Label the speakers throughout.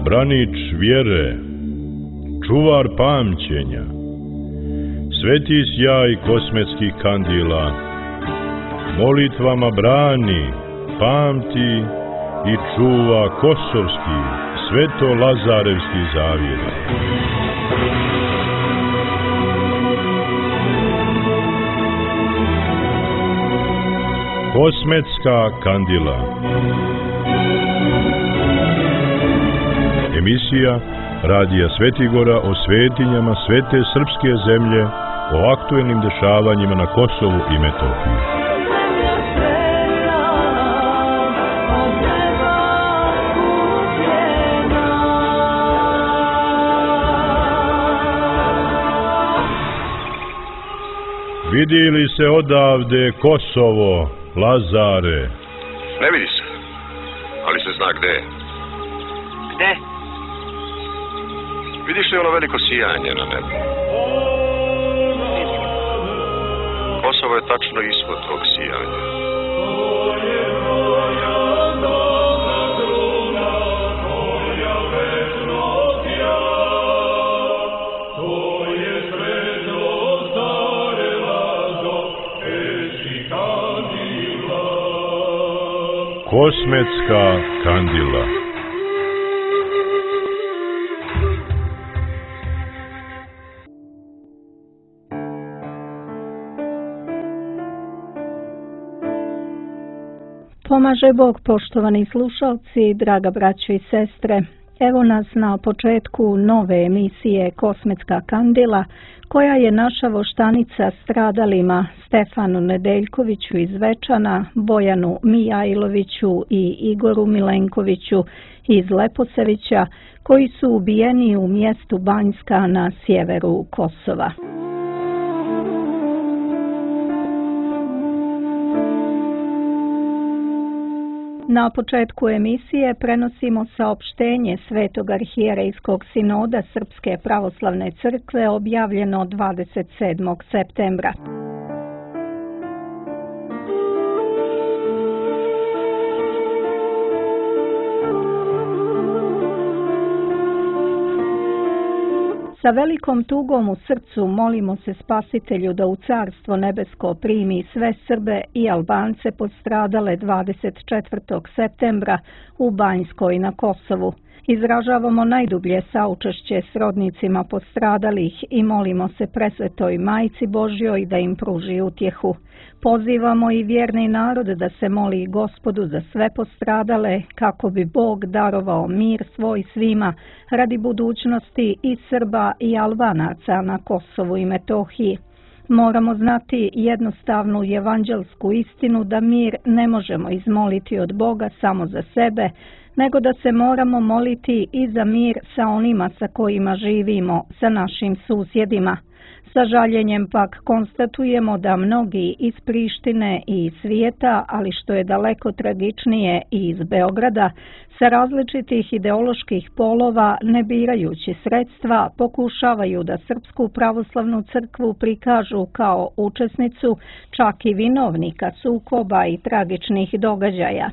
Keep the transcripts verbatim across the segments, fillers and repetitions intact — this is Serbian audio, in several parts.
Speaker 1: branič vjere, čuvar pamćenja, sveti sjaj kosmetskih kandila, molitvama brani, pamti i čuva kosovski, sveto-lazarevski zavjet. Kosmetska kandila. Emisija Radija Svetigora o svetinjama svete srpske zemlje, o aktuelnim dešavanjima na Kosovu i Metohiji. Vidi li se odavde Kosovo, Lazare?
Speaker 2: Ne vidi se, ali se zna gde je.
Speaker 3: Gde?
Speaker 2: Vidiš li ono veliko sijanje na nebu? Kosovo je tačno ispod tog sijanja.
Speaker 1: Kosmetska kandila.
Speaker 4: Pomaže Bog, poštovani slušalci, draga braćo i sestre. Evo nas na početku nove emisije Kosmetska kandila, koja je naša voštanica stradalima Stefanu Nedeljkoviću iz Zvečana, Bojanu Mijajloviću i Igoru Milenkoviću iz Leposevića, koji su ubijeni u mjestu Banjska na sjeveru Kosova. Na početku emisije prenosimo saopštenje Svetog arhijerejskog sinoda Srpske pravoslavne crkve objavljeno dvadeset sedmog septembra. Sa velikom tugom u srcu molimo se Spasitelju da u Carstvo nebesko primi sve Srbe i Albance postradale dvadeset četvrtog septembra u Banjskoj na Kosovu. Izražavamo najdublje saučešće srodnicima postradalih i molimo se Presvetoj Majci Božjoj da im pruži utjehu. Pozivamo i vjerni narod da se moli Gospodu za sve postradale, kako bi Bog darovao mir svoj svima radi budućnosti i Srba i Albanaca na Kosovu i Metohiji. Moramo znati jednostavnu evanđelsku istinu da mir ne možemo izmoliti od Boga samo za sebe, nego da se moramo moliti i za mir sa onima sa kojima živimo, sa našim susjedima. Sa žaljenjem pak konstatujemo da mnogi iz Prištine i iz svijeta, ali što je daleko tragičnije i iz Beograda, sa različitih ideoloških polova, ne birajući sredstva, pokušavaju da Srpsku pravoslavnu crkvu prikažu kao učesnicu, čak i vinovnika sukoba i tragičnih događaja.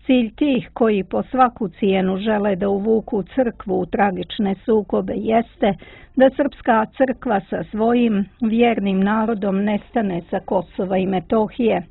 Speaker 4: Cilj tih koji po svaku cijenu žele da uvuku crkvu u tragične sukobe jeste da Srpska crkva sa svojim vjernim narodom nestane sa Kosova i Metohije.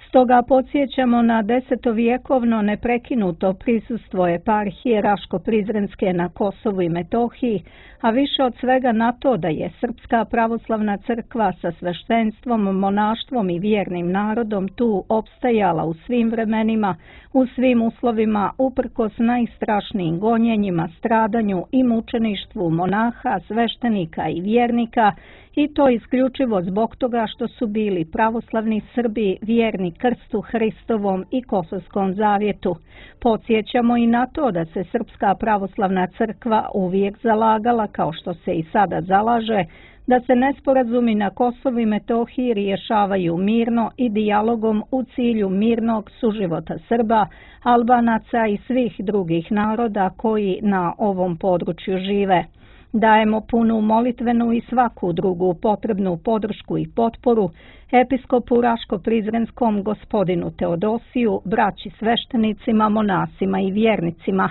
Speaker 4: Stoga podsjećamo na desetovjekovno neprekinuto prisustvo eparhije Raško-Prizrenske na Kosovu i Metohiji, a više od svega na to da je Srpska pravoslavna crkva sa sveštenstvom, monaštvom i vjernim narodom tu opstajala u svim vremenima, u svim uslovima, uprkos najstrašnijim gonjenjima, stradanju i mučeništvu monaha, sveštenika i vjernika, i to isključivo zbog toga što su bili pravoslavni Srbi vjerni krstu Hristovom i Kosovskom zavjetu. Podsjećamo i na to da se Srpska pravoslavna crkva uvijek zalagala, kao što se i sada zalaže, da se nesporazumi na Kosovu i Metohiji rješavaju mirno i dijalogom u cilju mirnog suživota Srba, Albanaca i svih drugih naroda koji na ovom području žive. Dajemo punu molitvenu i svaku drugu potrebnu podršku i potporu episkopu Raško-Prizrenskom gospodinu Teodosiju, braći sveštenicima, monasima i vjernicima.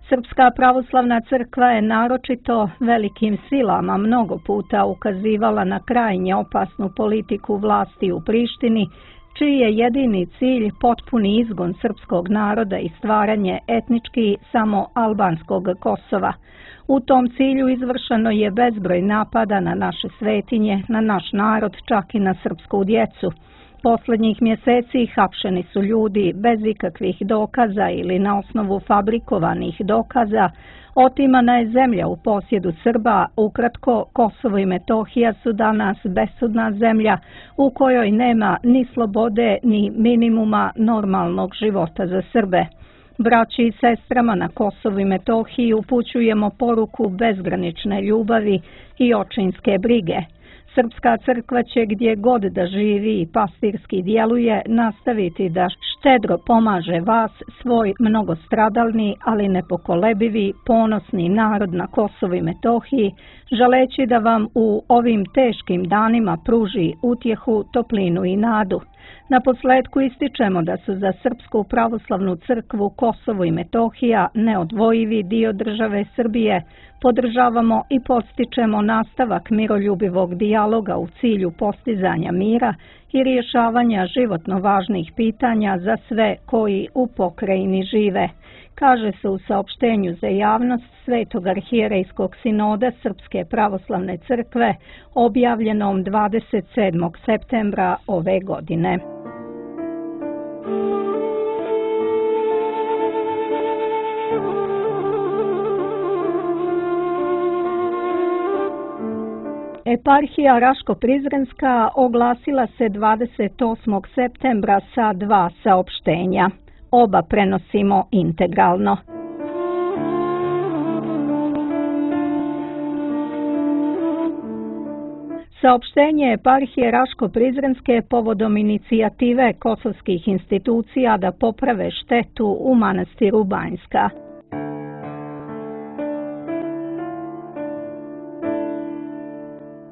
Speaker 4: Srpska pravoslavna crkva je naročito velikim silama mnogo puta ukazivala na krajnje opasnu politiku vlasti u Prištini, čiji je jedini cilj potpuni izgon srpskog naroda i stvaranje etnički samo albanskog Kosova. U tom cilju izvršeno je bezbroj napada na naše svetinje, na naš narod, čak i na srpsku djecu. Poslednjih mjeseci hapšeni su ljudi bez ikakvih dokaza ili na osnovu fabrikovanih dokaza, otimana je zemlja u posjedu Srba, ukratko Kosovo i Metohija su danas besudna zemlja u kojoj nema ni slobode ni minimuma normalnog života za Srbe. Braći i sestrama na Kosovu i Metohiji upućujemo poruku bezgranične ljubavi i očinske brige. Srpska crkva će gdje god da živi i pastirski djeluje nastaviti da štedro pomaže vas, svoj mnogostradalni, ali nepokolebivi, ponosni narod na Kosovu i Metohiji, želeći da vam u ovim teškim danima pruži utjehu, toplinu i nadu. Na posledku ističemo da su za Srpsku pravoslavnu crkvu Kosovo i Metohija neodvojivi dio države Srbije. Podržavamo i podstičemo nastavak miroljubivog dijaloga u cilju postizanja mira i rješavanja životno važnih pitanja za sve koji u pokrajini žive, kaže se u saopštenju za javnost Svetog arhijerejskog sinoda Srpske pravoslavne crkve objavljenom dvadeset sedmog septembra ove godine. Eparhija Raško-Prizrenska oglasila se dvadeset osmog septembra sa dva saopštenja. Oba prenosimo integralno. Saopštenje Eparhije Raško-Prizrenske povodom inicijative kosovskih institucija da poprave štetu u manastiru Banjska.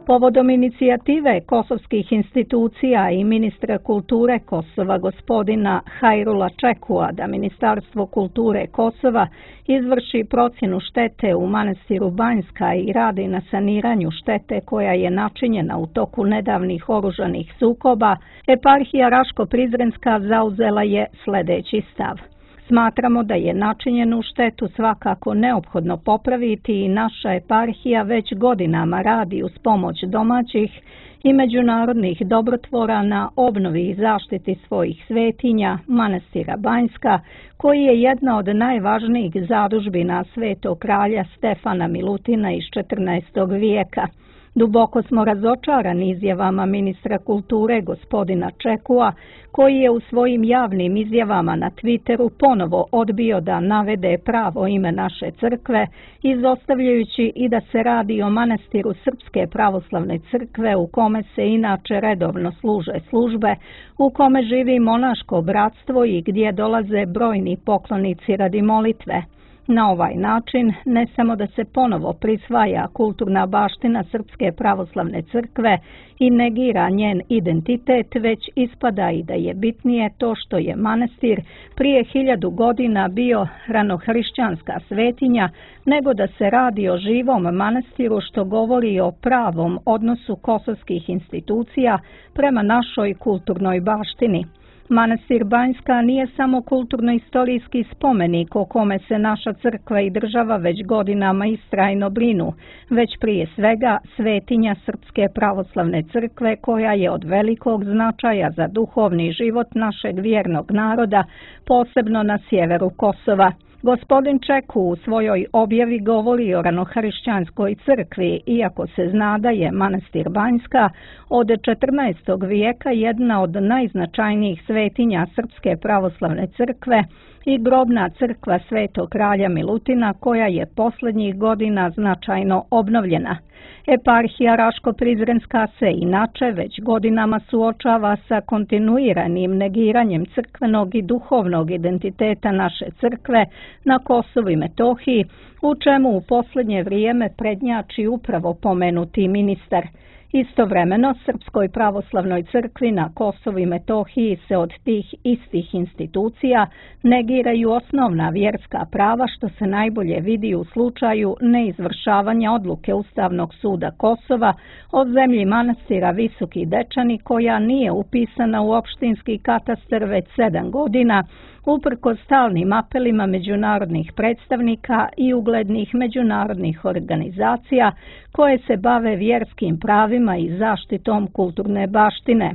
Speaker 4: Povodom inicijative kosovskih institucija i ministra kulture Kosova gospodina Hajrula Čekua da Ministarstvo kulture Kosova izvrši procjenu štete u manastiru Banjska i radi na saniranju štete koja je načinjena u toku nedavnih oružanih sukoba, Eparhija Raško-Prizrenska zauzela je sljedeći stav. Smatramo da je načinjenu štetu svakako neophodno popraviti i naša eparhija već godinama radi uz pomoć domaćih i međunarodnih dobrotvora na obnovi i zaštiti svojih svetinja, manastira Banjska, koji je jedna od najvažnijih zadužbina svetog kralja Stefana Milutina iz četrnaestog vijeka. Duboko smo razočarani izjavama ministra kulture gospodina Čekua, koji je u svojim javnim izjavama na Twitteru ponovo odbio da navede pravo ime naše crkve, izostavljajući i da se radi o manastiru Srpske pravoslavne crkve u kome se inače redovno služe službe, u kome živi monaško bratstvo i gdje dolaze brojni poklonici radi molitve. Na ovaj način ne samo da se ponovo prisvaja kulturna baština Srpske pravoslavne crkve i negira njen identitet, već ispada i da je bitnije to što je manastir prije hiljadu godina bio ranohrišćanska svetinja, nego da se radi o živom manastiru što govori o pravom odnosu kosovskih institucija prema našoj kulturnoj baštini. Manastir Banjska nije samo kulturno-istorijski spomenik o kome se naša crkva i država već godinama istrajno brinu, već prije svega svetinja Srpske pravoslavne crkve koja je od velikog značaja za duhovni život našeg vjernog naroda, posebno na sjeveru Kosova. Gospodin Čeku u svojoj objavi govori o ranohrišćanskoj crkvi, iako se zna da je manastir Banjska od četrnaestog vijeka jedna od najznačajnijih svetinja Srpske pravoslavne crkve i grobna crkva Svetog kralja Milutina koja je posljednjih godina značajno obnovljena. Eparhija Raško-Prizrenska se inače već godinama suočava sa kontinuiranim negiranjem crkvenog i duhovnog identiteta naše crkve na Kosovu i Metohiji, u čemu u posljednje vrijeme prednjači upravo pomenuti ministar. Istovremeno, Srpskoj pravoslavnoj crkvi na Kosovu i Metohiji se od tih istih institucija negiraju osnovna vjerska prava, što se najbolje vidi u slučaju neizvršavanja odluke Ustavnog suda Kosova o zemlji manastira Visoki Dečani, koja nije upisana u opštinski katastar već sedam godina, uprkos stalnim apelima međunarodnih predstavnika i uglednih međunarodnih organizacija koje se bave vjerskim pravima i zaštitom kulturne baštine.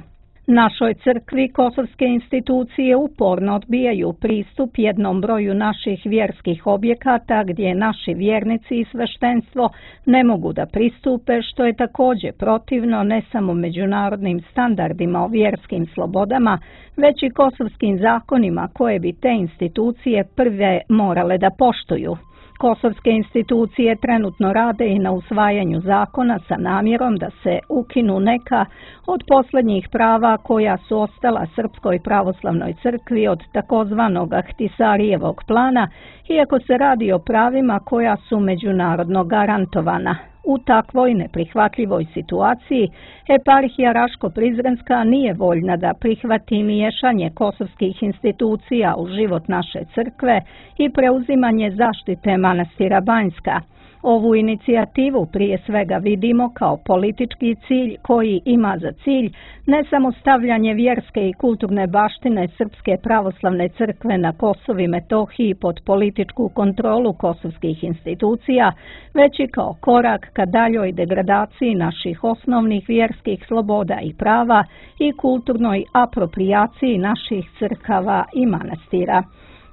Speaker 4: Našoj crkvi kosovske institucije uporno odbijaju pristup jednom broju naših vjerskih objekata gdje naši vjernici i sveštenstvo ne mogu da pristupe, što je također protivno ne samo međunarodnim standardima o vjerskim slobodama, već i kosovskim zakonima koje bi te institucije prve morale da poštuju. Kosovske institucije trenutno rade i na usvajanju zakona sa namjerom da se ukinu neka od posljednjih prava koja su ostala Srpskoj pravoslavnoj crkvi od takozvanog Ahtisarijevog plana, iako se radi o pravima koja su međunarodno garantovana. U takvoj neprihvatljivoj situaciji eparhija Raško-Prizrenska nije voljna da prihvati miješanje kosovskih institucija u život naše crkve i preuzimanje zaštite manastira Banjska. Ovu inicijativu prije svega vidimo kao politički cilj koji ima za cilj ne samo stavljanje vjerske i kulturne baštine Srpske pravoslavne crkve na Kosovu i Metohiji pod političku kontrolu kosovskih institucija, već i kao korak ka daljoj degradaciji naših osnovnih vjerskih sloboda i prava i kulturnoj aproprijaciji naših crkava i manastira.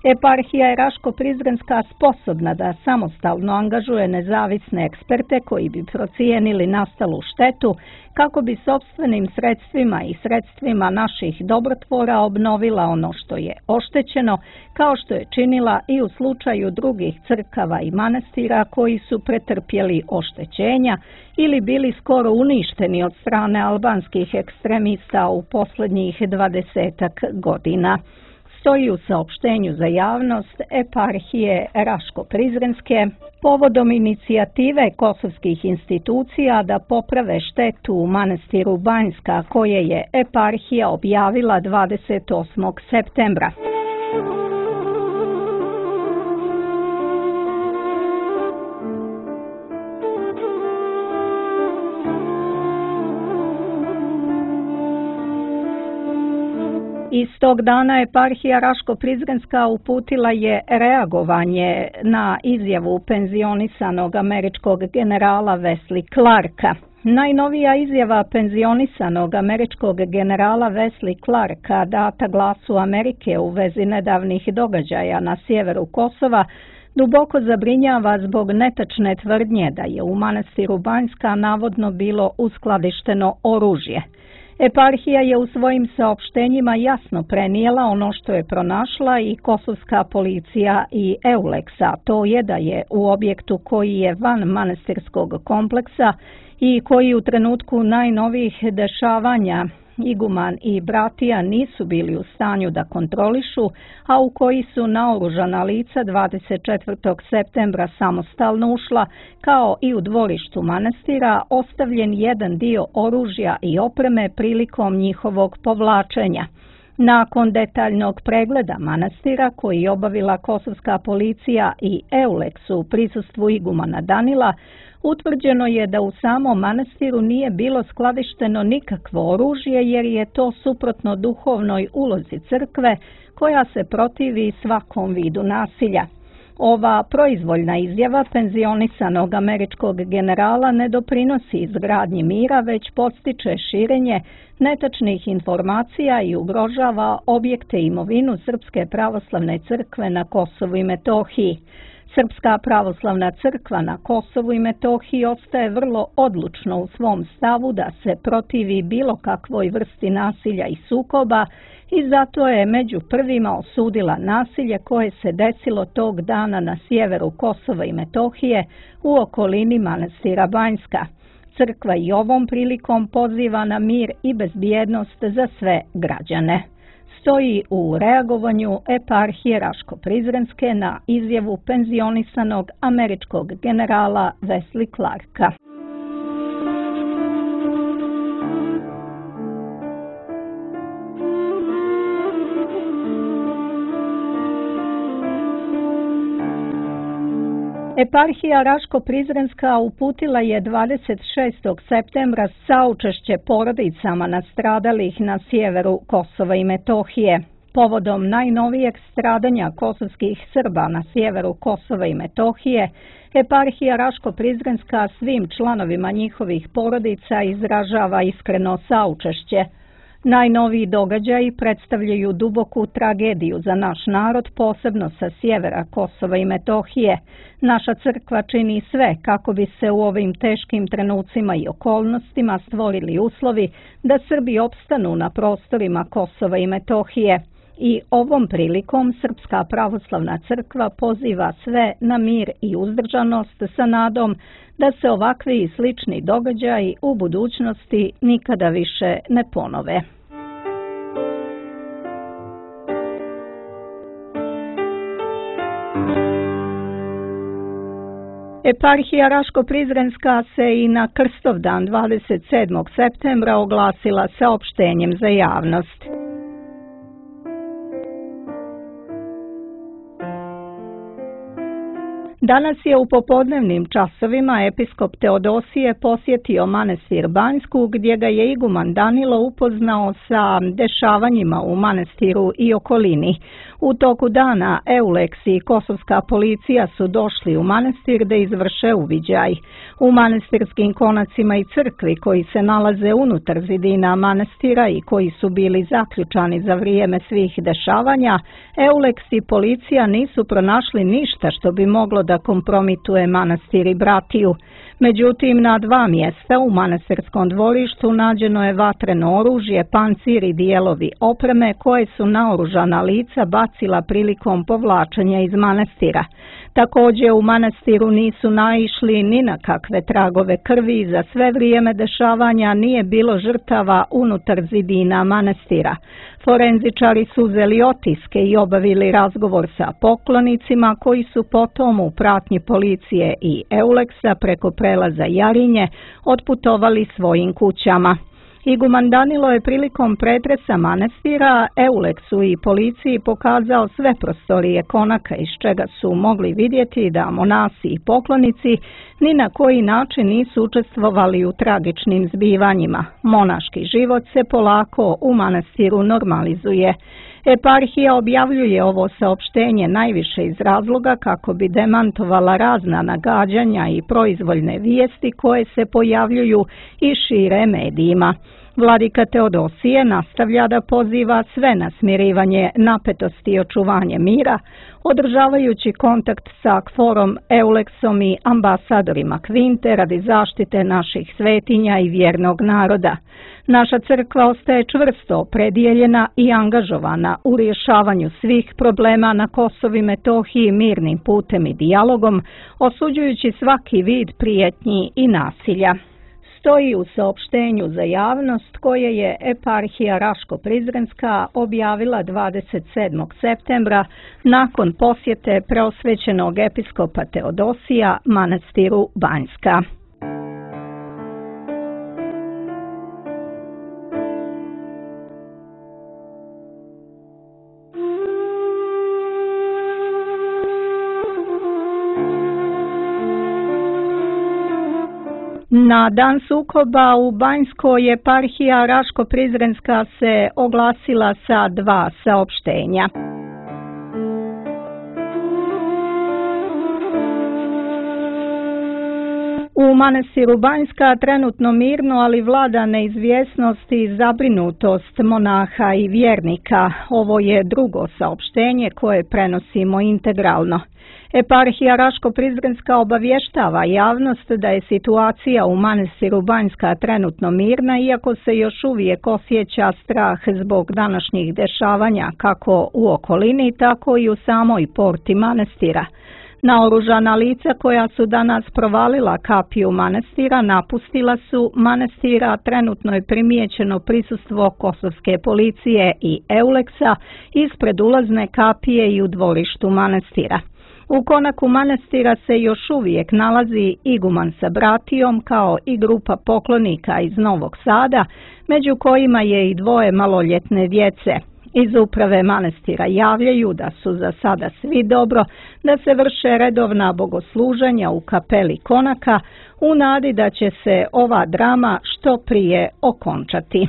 Speaker 4: Eparhija je Raško-Prizrenska sposobna da samostalno angažuje nezavisne eksperte koji bi procijenili nastalu štetu kako bi sopstvenim sredstvima i sredstvima naših dobrotvora obnovila ono što je oštećeno, kao što je činila i u slučaju drugih crkava i manastira koji su pretrpjeli oštećenja ili bili skoro uništeni od strane albanskih ekstremista u posljednjih dvadesetak godina. Stoji u saopštenju za javnost eparhije Raško-Prizrenske povodom inicijative kosovskih institucija da poprave štetu u manastiru Banjska koje je eparhija objavila dvadeset osmog septembra. Istog dana eparhija Raško-Prizrenska uputila je reagovanje na izjavu penzionisanog američkog generala Wesley Clarka. Najnovija izjava penzionisanog američkog generala Wesley Clarka data Glasu Amerike u vezi nedavnih događaja na sjeveru Kosova duboko zabrinjava zbog netačne tvrdnje da je u manastiru Banjska navodno bilo uskladišteno oružje. Eparhija je u svojim saopštenjima jasno prenijela ono što je pronašla i kosovska policija i Euleksa, to je da je u objektu koji je van manastirskog kompleksa i koji u trenutku najnovijih dešavanja iguman i bratija nisu bili u stanju da kontrolišu, a u koji su naoružana lica dvadeset četvrtog septembra samostalno ušla, kao i u dvorištu manastira, ostavljen jedan dio oružja i opreme prilikom njihovog povlačenja. Nakon detaljnog pregleda manastira koji je obavila kosovska policija i Euleks u prisustvu igumana Danila, utvrđeno je da u samom manastiru nije bilo skladišteno nikakvo oružje jer je to suprotno duhovnoj ulozi crkve koja se protivi svakom vidu nasilja. Ova proizvoljna izjava penzionisanog američkog generala ne doprinosi izgradnji mira, već podstiče širenje netačnih informacija i ugrožava objekte i imovinu Srpske pravoslavne crkve na Kosovu i Metohiji. Srpska pravoslavna crkva na Kosovu i Metohiji ostaje vrlo odlučno u svom stavu da se protivi bilo kakvoj vrsti nasilja i sukoba i zato je među prvima osudila nasilje koje se desilo tog dana na sjeveru Kosova i Metohije u okolini manastira Banjska. Crkva i ovom prilikom poziva na mir i bezbjednost za sve građane. Stoji u reagovanju eparhije Raško-Prizrenske na izjavu penzionisanog američkog generala Wesley Clarka. Eparhija Raško-Prizrenska uputila je dvadeset šestog septembra saučešće porodicama nastradalih na sjeveru Kosova i Metohije. Povodom najnovijeg stradanja kosovskih Srba na sjeveru Kosova i Metohije, Eparhija Raško-Prizrenska svim članovima njihovih porodica izražava iskreno saučešće. Najnoviji događaji predstavljaju duboku tragediju za naš narod, posebno sa sjevera Kosova i Metohije. Naša crkva čini sve kako bi se u ovim teškim trenucima i okolnostima stvorili uslovi da Srbi opstanu na prostorima Kosova i Metohije. I ovom prilikom Srpska pravoslavna crkva poziva sve na mir i uzdržanost sa nadom da se ovakvi i slični događaji u budućnosti nikada više ne ponove. Eparhija Raško-Prizrenska se i na Krstovdan dvadeset sedmog septembra oglasila saopštenjem za javnost. Danas je u popodnevnim časovima episkop Teodosije posjetio manastir Banjsku, gdje ga je iguman Danilo upoznao sa dešavanjima u manastiru i okolini. U toku dana Euleks i kosovska policija su došli u manastir da izvrše uviđaj. U manastirskim konacima i crkvi koji se nalaze unutar zidina manastira i koji su bili zaključani za vrijeme svih dešavanja, Euleks i policija nisu pronašli ništa što bi moglo da kompromituje manastir i bratiju. Međutim, na dva mjesta u manastirskom dvorištu nađeno je vatreno oružje, pancir i dijelovi opreme koje su naoružana lica bacila prilikom povlačenja iz manastira. Također u manastiru nisu naišli ni na kakve tragove krvi i za sve vrijeme dešavanja nije bilo žrtava unutar zidina manastira. Forenzičari su uzeli otiske i obavili razgovor sa poklonicima koji su potom u pratnji policije i Euleksa preko prelaza Jarinje otputovali svojim kućama. Iguman Danilo je prilikom pretresa manastira Euleksu i policiji pokazao sve prostorije konaka iz čega su mogli vidjeti da monasi i poklonici ni na koji način nisu učestvovali u tragičnim zbivanjima. Monaški život se polako u manastiru normalizuje. Eparhija objavljuje ovo saopštenje najviše iz razloga kako bi demantovala razna nagađanja i proizvoljne vijesti koje se pojavljuju i šire medijima. Vladika Teodosije nastavlja da poziva sve na smirivanje napetosti i očuvanje mira, održavajući kontakt sa Kforom, Euleksom i ambasadorima Kvinte radi zaštite naših svetinja i vjernog naroda. Naša crkva ostaje čvrsto opredijeljena i angažovana u rješavanju svih problema na Kosovu i Metohiji mirnim putem i dijalogom, osuđujući svaki vid prijetnji i nasilja. Stoji u saopštenju za javnost koje je Eparhija Raško-Prizrenska objavila dvadeset sedmog septembra nakon posjete preosvećenog episkopa Teodosija manastiru Banjska. Na dan sukoba u Banjskoj Eparhija Raško-Prizrenska se oglasila sa dva saopštenja. U manastiru Banjska trenutno mirno, ali vlada neizvjesnost i zabrinutost monaha i vjernika. Ovo je drugo saopštenje koje prenosimo integralno. Eparhija Raško-Prizrenska obavještava javnost da je situacija u manastiru Banjska trenutno mirna, iako se još uvijek osjeća strah zbog današnjih dešavanja kako u okolini, tako i u samoj porti manastira. Naoružana lica koja su danas provalila kapiju manastira napustila su manastira, trenutno je primijećeno prisustvo kosovske policije i Euleksa ispred ulazne kapije i u dvorištu manastira. U konaku manastira se još uvijek nalazi iguman sa bratijom kao i grupa poklonika iz Novog Sada, među kojima je i dvoje maloljetne djece. Iz uprave manastira javljaju da su za sada svi dobro, da se vrše redovna bogosluženja u kapeli konaka u nadi da će se ova drama što prije okončati.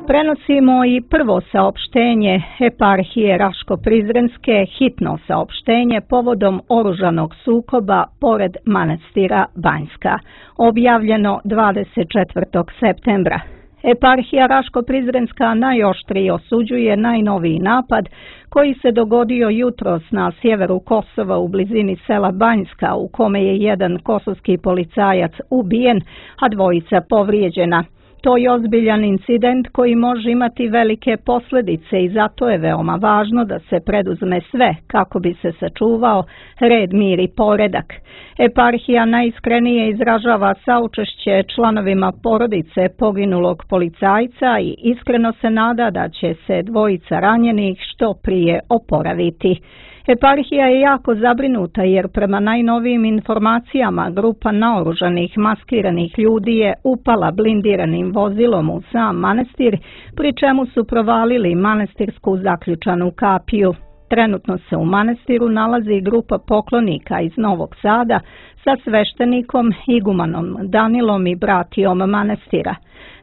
Speaker 4: Prenosimo i prvo saopštenje eparhije Raško-Prizrenske, hitno saopštenje povodom oružanog sukoba pored manastira Banjska, objavljeno dvadeset četvrtog septembra. Eparhija Raško-Prizrenska najoštrije osuđuje najnoviji napad koji se dogodio jutros na sjeveru Kosova u blizini sela Banjska, u kome je jedan kosovski policajac ubijen, a dvojica povrijeđena. To je ozbiljan incident koji može imati velike posljedice i zato je veoma važno da se preduzme sve kako bi se sačuvao red, mir i poredak. Eparhija najiskrenije izražava saučešće članovima porodice poginulog policajca i iskreno se nada da će se dvojica ranjenih što prije oporaviti. Eparhija je jako zabrinuta jer prema najnovijim informacijama grupa naoružanih maskiranih ljudi je upala blindiranim vozilom u sam manastir, pri čemu su provalili manastirsku zaključanu kapiju. Trenutno se u manastiru nalazi grupa poklonika iz Novog Sada sa sveštenikom igumanom Danilom i bratijom manastira.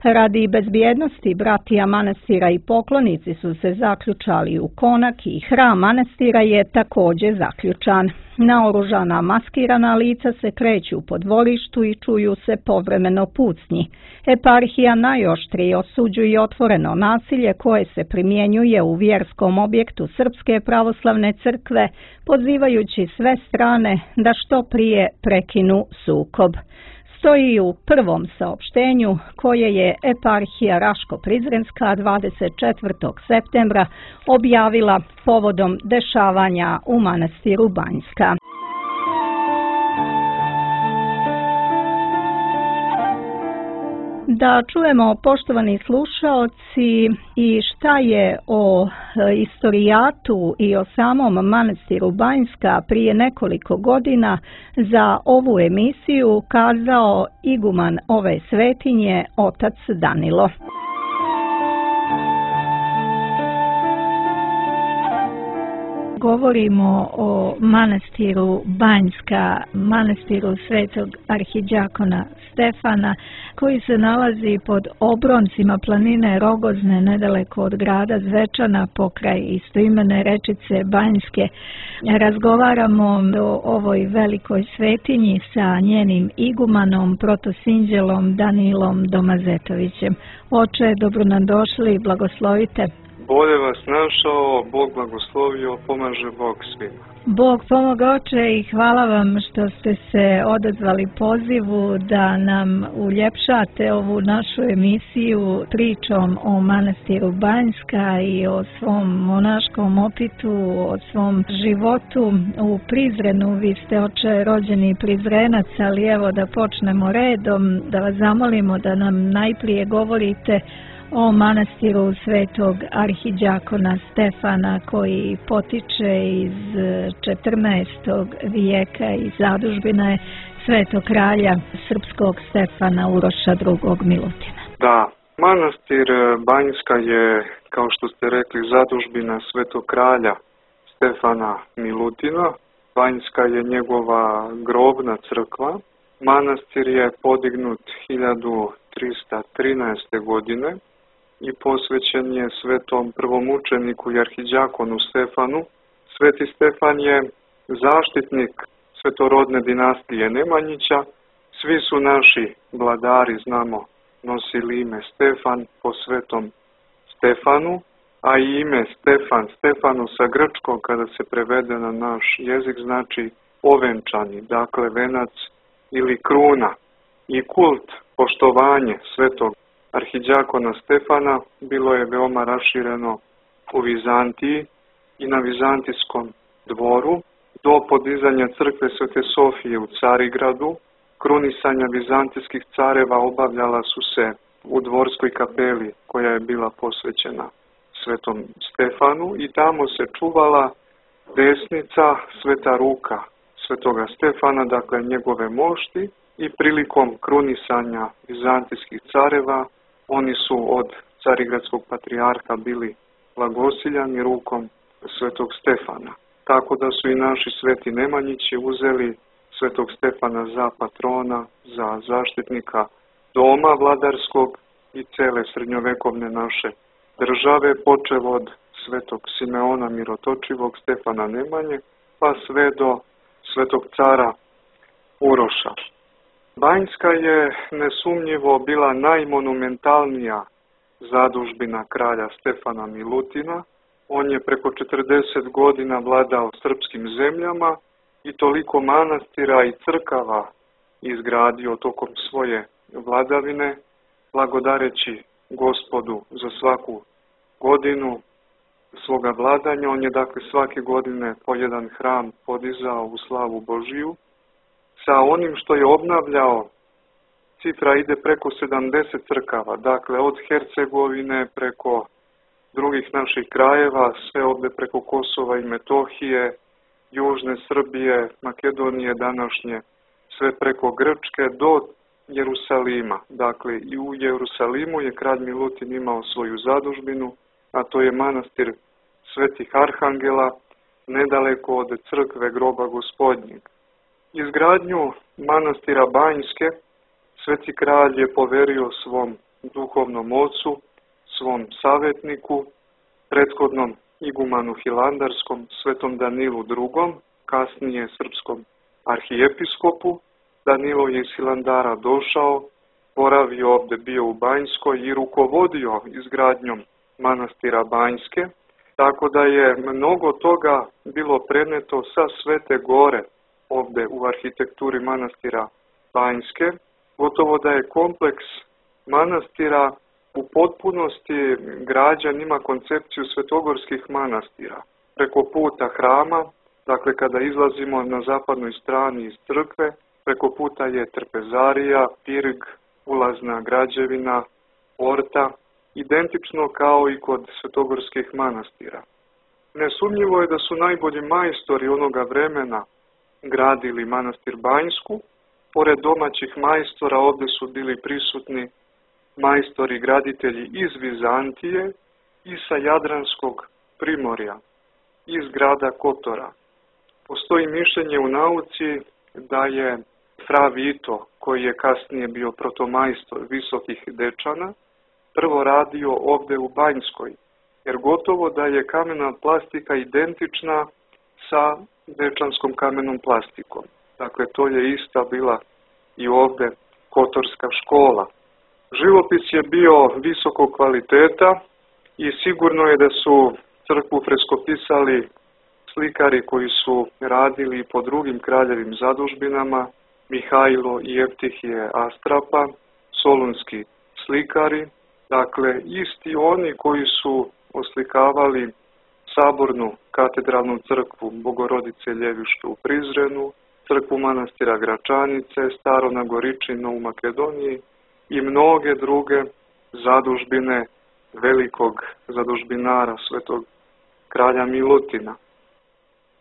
Speaker 4: Radi bezbjednosti bratija manastira i poklonici su se zaključali u konak i hram manastira je također zaključan. Naoružana maskirana lica se kreću po dvorištu i čuju se povremeno pucnji. Eparhija najoštrije osuđuje otvoreno nasilje koje se primjenjuje u vjerskom objektu Srpske pravoslavne crkve, pozivajući sve strane da što prije prekinu sukob. Stoji u prvom saopštenju koje je eparhija Raško-Prizrenska dvadeset četvrtog septembra objavila povodom dešavanja u manastiru Banjska. Da čujemo, poštovani slušaoci, i šta je o istorijatu i o samom manastiru Banjska prije nekoliko godina za ovu emisiju kazao iguman ove svetinje, otac Danilo.
Speaker 5: Govorimo o manastiru Banjska, manastiru svetog arhidjakona Stefana, koji se nalazi pod obroncima planine Rogozne, nedaleko od grada Zvečana, pokraj istoimene rečice Banjske. Razgovaramo o ovoj velikoj svetinji sa njenim igumanom, protosinđelom Danilom Domazetovićem. Oče, dobro nam došli, blagoslovite.
Speaker 6: Bolje vas našao, Bog blagoslovio, pomaže Bog svima.
Speaker 5: Bog pomoga, oče, i hvala vam što ste se odazvali pozivu da nam uljepšate ovu našu emisiju pričom o manastiru Banjska i o svom monaškom opitu, o svom životu u Prizrenu. Vi ste, oče, rođeni Prizrenac, ali evo da počnemo redom, da vas zamolimo da nam najprije govorite o manastiru svetog arhidjakona Stefana, koji potiče iz četrnaestog vijeka i zadužbina je svetog kralja srpskog Stefana Uroša drugog Milutina.
Speaker 6: Da, manastir Banjska je, kao što ste rekli, zadužbina svetog kralja Stefana Milutina. Banjska je njegova grobna crkva. Manastir je podignut hiljadu trista trinaeste. godine i posvećen je svetom prvomučeniku i arhidjakonu Stefanu. Sveti Stefan je zaštitnik svetorodne dinastije Nemanjića. Svi su naši vladari, znamo, nosili ime Stefan po svetom Stefanu, a i ime Stefan, Stefanu sa grčkog, kada se prevede na naš jezik, znači ovenčani, dakle venac ili kruna. I kult, poštovanje svetog arhidjakona Stefana bilo je veoma rašireno u Vizantiji i na vizantijskom dvoru. Do podizanja crkve Svete Sofije u Carigradu, krunisanja vizantijskih careva obavljala su se u dvorskoj kapeli koja je bila posvećena svetom Stefanu i tamo se čuvala desnica, sveta ruka svetoga Stefana, dakle njegove mošti, i prilikom krunisanja vizantijskih careva oni su od carigradskog patrijarha bili blagosiljani rukom svetog Stefana. Tako da su i naši sveti Nemanjići uzeli svetog Stefana za patrona, za zaštitnika doma vladarskog i cele srednjovekovne naše države, počev od svetog Simeona Mirotočivog, Stefana Nemanje, pa sve do svetog cara Uroša. Banjska je nesumnjivo bila najmonumentalnija zadužbina kralja Stefana Milutina. On je preko četrdeset godina vladao srpskim zemljama i toliko manastira i crkava izgradio tokom svoje vladavine, blagodareći Gospodu za svaku godinu svoga vladanja. On je dakle svake godine po jedan hram podizao u slavu Božiju. Sa onim što je obnavljao, cifra ide preko sedamdeset crkava, dakle od Hercegovine preko drugih naših krajeva, sve ovdje preko Kosova i Metohije, Južne Srbije, Makedonije današnje, sve preko Grčke do Jerusalima. Dakle, i u Jerusalimu je kralj Milutin imao svoju zadužbinu, a to je manastir Svetih Arhangela, nedaleko od crkve Groba Gospodnjeg. Izgradnju manastira Banjske sveti kralj je poverio svom duhovnom ocu, svom savjetniku, prethodnom igumanu Hilandarskom, svetom Danilu drugom, kasnije srpskom arhijepiskopu. Danilo je iz Hilandara došao, boravio ovdje, bio u Banjskoj i rukovodio izgradnjom manastira Banjske, tako da je mnogo toga bilo preneto sa Svete Gore ovdje u arhitekturi manastira Banjske. Gotovo da je kompleks manastira u potpunosti građan, ima koncepciju svetogorskih manastira. Preko puta hrama, dakle kada izlazimo na zapadnoj strani iz crkve, preko puta je trpezarija, pirg, ulazna građevina, porta, identično kao i kod svetogorskih manastira. Nesumnjivo je da su najbolji majstori onoga vremena gradili manastir Banjsku. Pored domaćih majstora ovdje su bili prisutni majstori graditelji iz Vizantije i sa Jadranskog primorja, iz grada Kotora. Postoji mišljenje u nauci da je fra Vito, koji je kasnije bio protomajstor Visokih Dečana, prvo radio ovdje u Banjskoj, jer gotovo da je kamena plastika identična sa dečanskom kamenom plastikom. Dakle, to je ista bila i ovdje kotorska škola. Živopis je bio visokog kvaliteta i sigurno je da su crkvu freskopisali slikari koji su radili po drugim kraljevim zadužbinama, Mihajlo i Eftihije Astrapa, solunski slikari, dakle isti oni koji su oslikavali sabornu katedralnu crkvu Bogorodice Ljevište u Prizrenu, crkvu manastira Gračanice, Staro Nagoričino u Makedoniji i mnoge druge zadužbine velikog zadužbinara svetog kralja Milutina.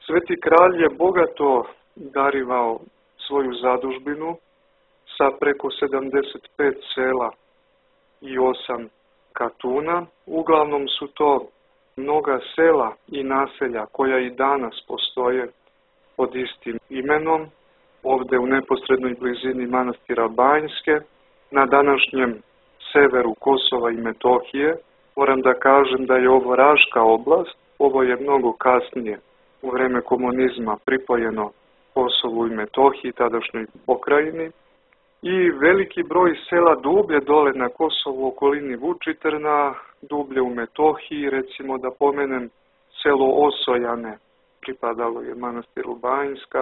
Speaker 6: Sveti kralj je bogato darivao svoju zadužbinu sa preko sedamdeset pet sela i osam katuna. Uglavnom su to mnoga sela i naselja koja i danas postoje pod istim imenom, ovdje u neposrednoj blizini manastira Banjske, na današnjem severu Kosova i Metohije. Moram da kažem da je ovo Raška oblast, ovo je mnogo kasnije u vreme komunizma pripojeno Kosovu i Metohiji, tadašnjoj pokrajini, i veliki broj sela dublje dole na Kosovu, okolini Vučitrna, dublje u Metohiji, recimo da pomenem selo Osojane, pripadalo je manastiru Banjska,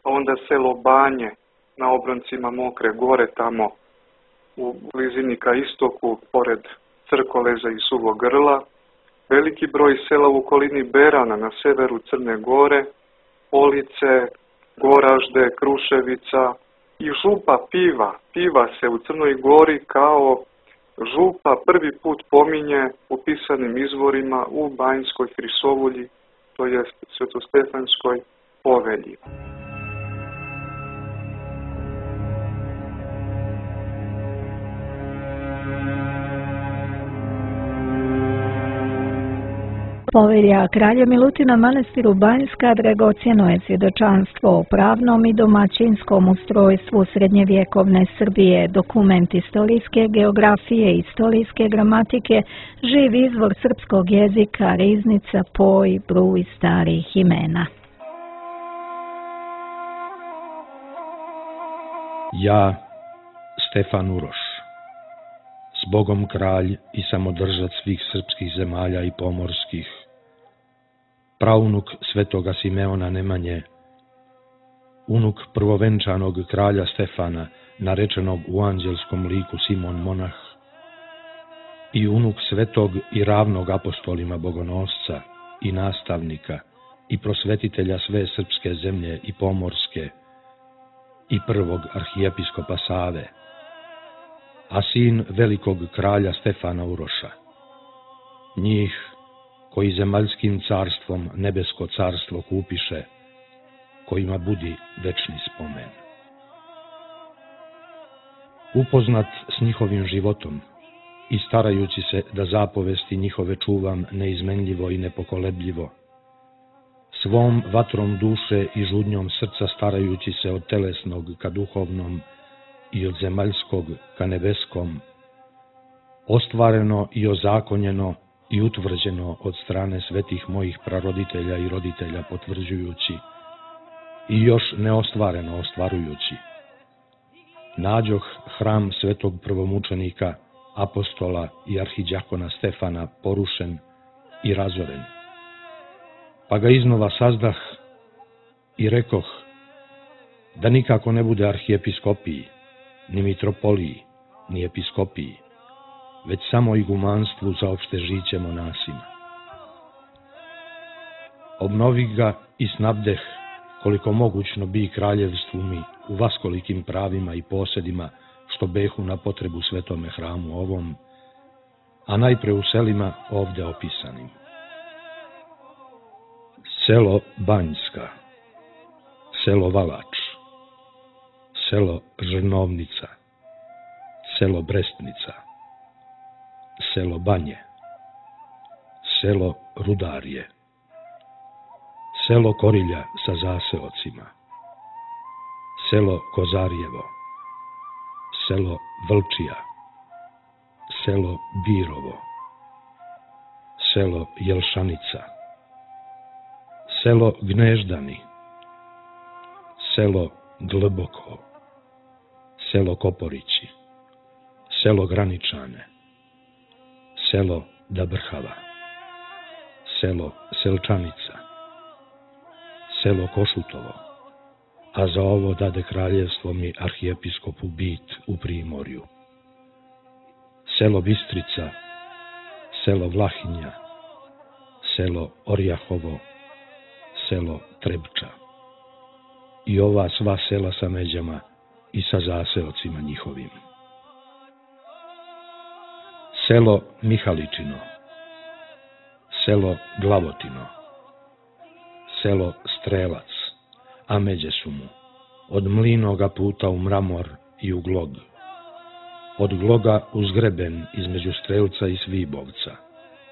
Speaker 6: a onda selo Banje na obroncima Mokre gore, tamo u blizini ka istoku, pored Crkoleza i Suvog Grla, veliki broj sela u okolini Berana na severu Crne Gore, Police, Goražde, Kruševica i župa Piva. Piva se u Crnoj Gori kao župa prvi put pominje u pisanim izvorima u Banjskoj Hrisovulji to jest Svetostefanskoj povelji.
Speaker 5: Povelja kralja Milutina manastiru Banjska dragocjeno je svjedočanstvo o pravnom i domaćinskom ustrojstvu srednjevjekovne Srbije, dokument istorijske geografije i istorijske gramatike, živ izvor srpskog jezika, riznica, poj, bruj starih imena.
Speaker 7: Ja, Stefan Uroš, s Bogom kralj i samodržac svih srpskih zemalja i pomorskih, praunuk svetoga Simeona Nemanje, unuk prvovenčanog kralja Stefana, narečenog u anđelskom liku Simon Monah, i unuk svetog i ravnog apostolima bogonosca i nastavnika i prosvetitelja sve srpske zemlje i pomorske i prvog arhijepiskopa Save, a sin velikog kralja Stefana Uroša, njih koji zemaljskim carstvom nebesko carstvo kupiše, kojima budi večni spomen. Upoznat s njihovim životom i starajući se da zapovesti njihove čuvam neizmenljivo i nepokolebljivo, svom vatrom duše i žudnjom srca starajući se od telesnog ka duhovnom i od zemaljskog ka nebeskom, ostvareno i ozakonjeno i utvrđeno od strane svetih mojih praroditelja i roditelja potvrđujući i još neostvareno ostvarujući, nađoh hram svetog prvomučenika, apostola i arhidjakona Stefana porušen i razoren. Pa ga iznova sazdah i rekoh da nikako ne bude arhijepiskopiji, ni mitropoliji, ni episkopiji, već samo igumanstvu za opšte žiće monasima. Obnovih ga i snabdeh koliko mogućno bi kraljevstvu mi u vaskolikim pravima i posedima što behu na potrebu svetome hramu ovom, a najpre u selima ovde opisanim. Selo Banjska, selo Valač, selo Žrnovnica, selo Brestnica, selo Banje, selo Rudarje, selo Korilja sa zaseocima, selo Kozarjevo, selo Vlčija, selo Birovo, selo Jelšanika, selo Gneždani, selo Glboko, selo Koporići, selo Graničane, selo Dabrhava, selo Selčanica, selo Košutovo, a za ovo dade kraljevstvo mi arhijepiskopu Bit u Primorju, selo Bistrica, selo Vlahinja, selo Orjahovo, selo Trebča i ova sva sela sa međama i sa zaseocima njihovim. Selo Mihaličino, selo Glavotino, selo Strelac, a međe su mu od Mlinoga puta u Mramor i u Glog, od Gloga uz greben između Strelca i Svibovca,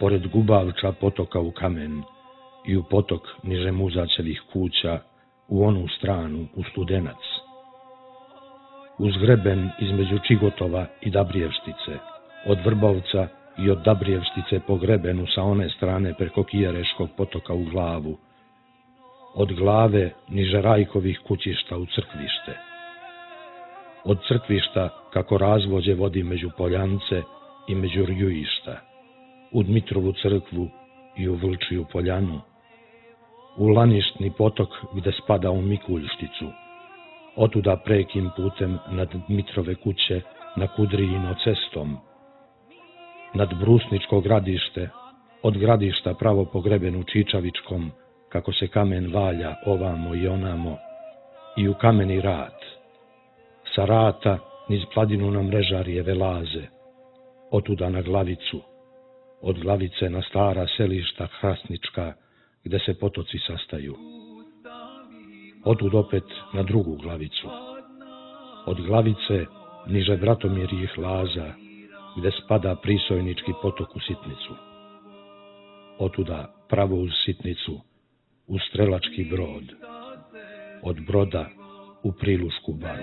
Speaker 7: pored Gubavča potoka u Kamen i u potok niže Muzačevih kuća u onu stranu u Studenac, uz greben između Čigotova i Dabrijevštice, od Vrbovca i od Dabrijevštice po grebenu sa one strane preko Kijereškog potoka u Glavu, od Glave niže Rajkovih kućišta u Crkvište, od Crkvišta kako razvođe vodi među Poljance i među Rjujišta, u Dmitrovu crkvu i u Vlčiju poljanu, u Laništni potok gde spada u Mikuljšticu, otuda prekim putem nad Dmitrove kuće na Kudrijino cestom, nad Brusničko gradište, od gradišta pravo po grebenu Čičavičkom, kako se kamen valja ovamo i onamo, i u Kameni rat, sa rata niz Pladinu na Mrežarijeve laze, otuda na Glavicu, od Glavice na stara selišta Hrasnička, gde se potoci sastaju. Otud opet na drugu glavicu. Od glavice niže Bratomirjih laza, gde spada prisojnički potok u Sitnicu. Otuda pravo uz Sitnicu, u Strelački brod. Od broda u Prilušku baru.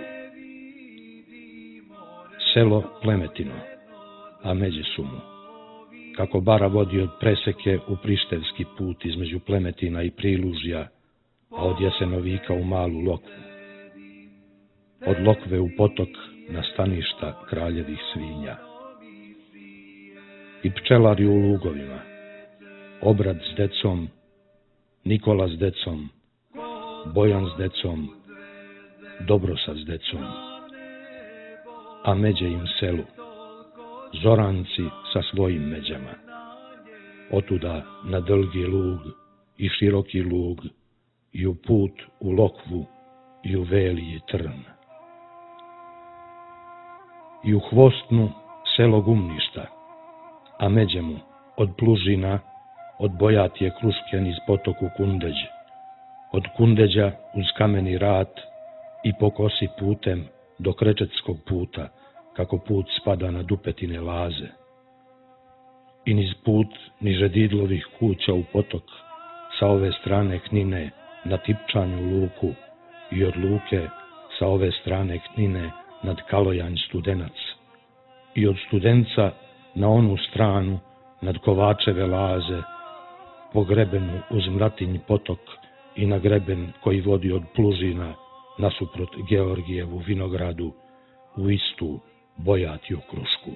Speaker 7: Selo Plemetino, a međe su mu. Kako bara vodi od Preseke u Prištevski put između Plemetina i Prilužja, a od Jasenovika u Malu Lokvu. Od Lokve u potok na staništa kraljevih svinja. I pčelari u lugovima, Obrad s decom, Nikola s decom, Bojan s decom, Dobrosa s decom, a međe im selu, Zoranci sa svojim međama. Otuda na Dolgi lug i Široki lug i u put u Lokvu i u Veliji trn. I u Hvostnu selo Gumništa, a međe mu od Plužina, od Bojatije Krušken iz potoku Kundeđ, od Kundeđa uz Kameni rat i po kosi putem do Krečetskog puta, kako put spada na Dupetine laze. I niz put niže Didlovih kuća u potok, sa ove strane Knine na Tipčanju luku i od luke sa ove strane Knine nad Kalojanj Studenac i od Studenca na onu stranu nad Kovačeve laze, po grebenu uz Mlatinj potok i na greben koji vodi od Plužina nasuprot Georgijevu vinogradu u istu Bojatiju Krušku.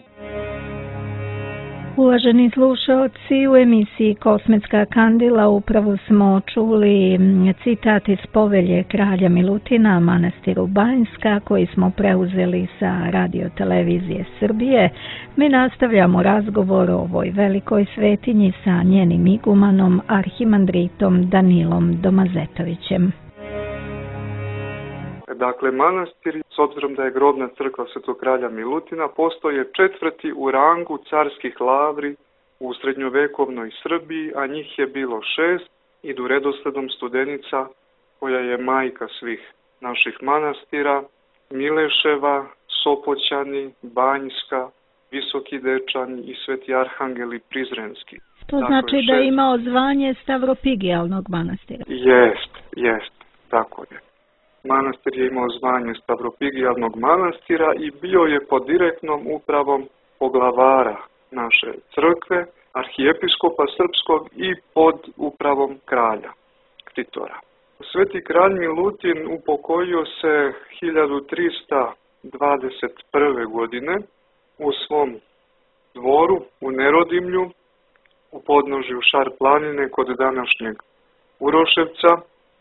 Speaker 5: Uvaženi slušaoci, u emisiji Kosmetska kandila upravo smo čuli citat iz povelje kralja Milutina manastiru Banjska koji smo preuzeli sa Radio televizije Srbije. Mi nastavljamo razgovor o ovoj velikoj svetinji sa njenim igumanom, arhimandritom Danilom Domazetovićem.
Speaker 6: Dakle, manastir, s obzirom da je grobna crkva Svetog kralja Milutina, postoje četvrti u rangu carskih lavri u srednjovekovnoj Srbiji, a njih je bilo šest, idu redosledom Studenica, koja je majka svih naših manastira, Mileševa, Sopoćani, Banjska, Visoki Dečani i Sveti Arhangel i Prizrenski.
Speaker 5: To dakle, znači šest... da je imao zvanje Stavropigijalnog manastira?
Speaker 6: Jest, jest, tako je. Manastir je imao zvanje Stavropigijalnog manastira i bio je pod direktnom upravom poglavara naše crkve, arhijepiskopa srpskog i pod upravom kralja, ktitora. Sveti kralj Milutin upokojio se hiljadu trista dvadeset prve. godine u svom dvoru u Nerodimlju, u podnožju Šar planine kod današnjeg Uroševca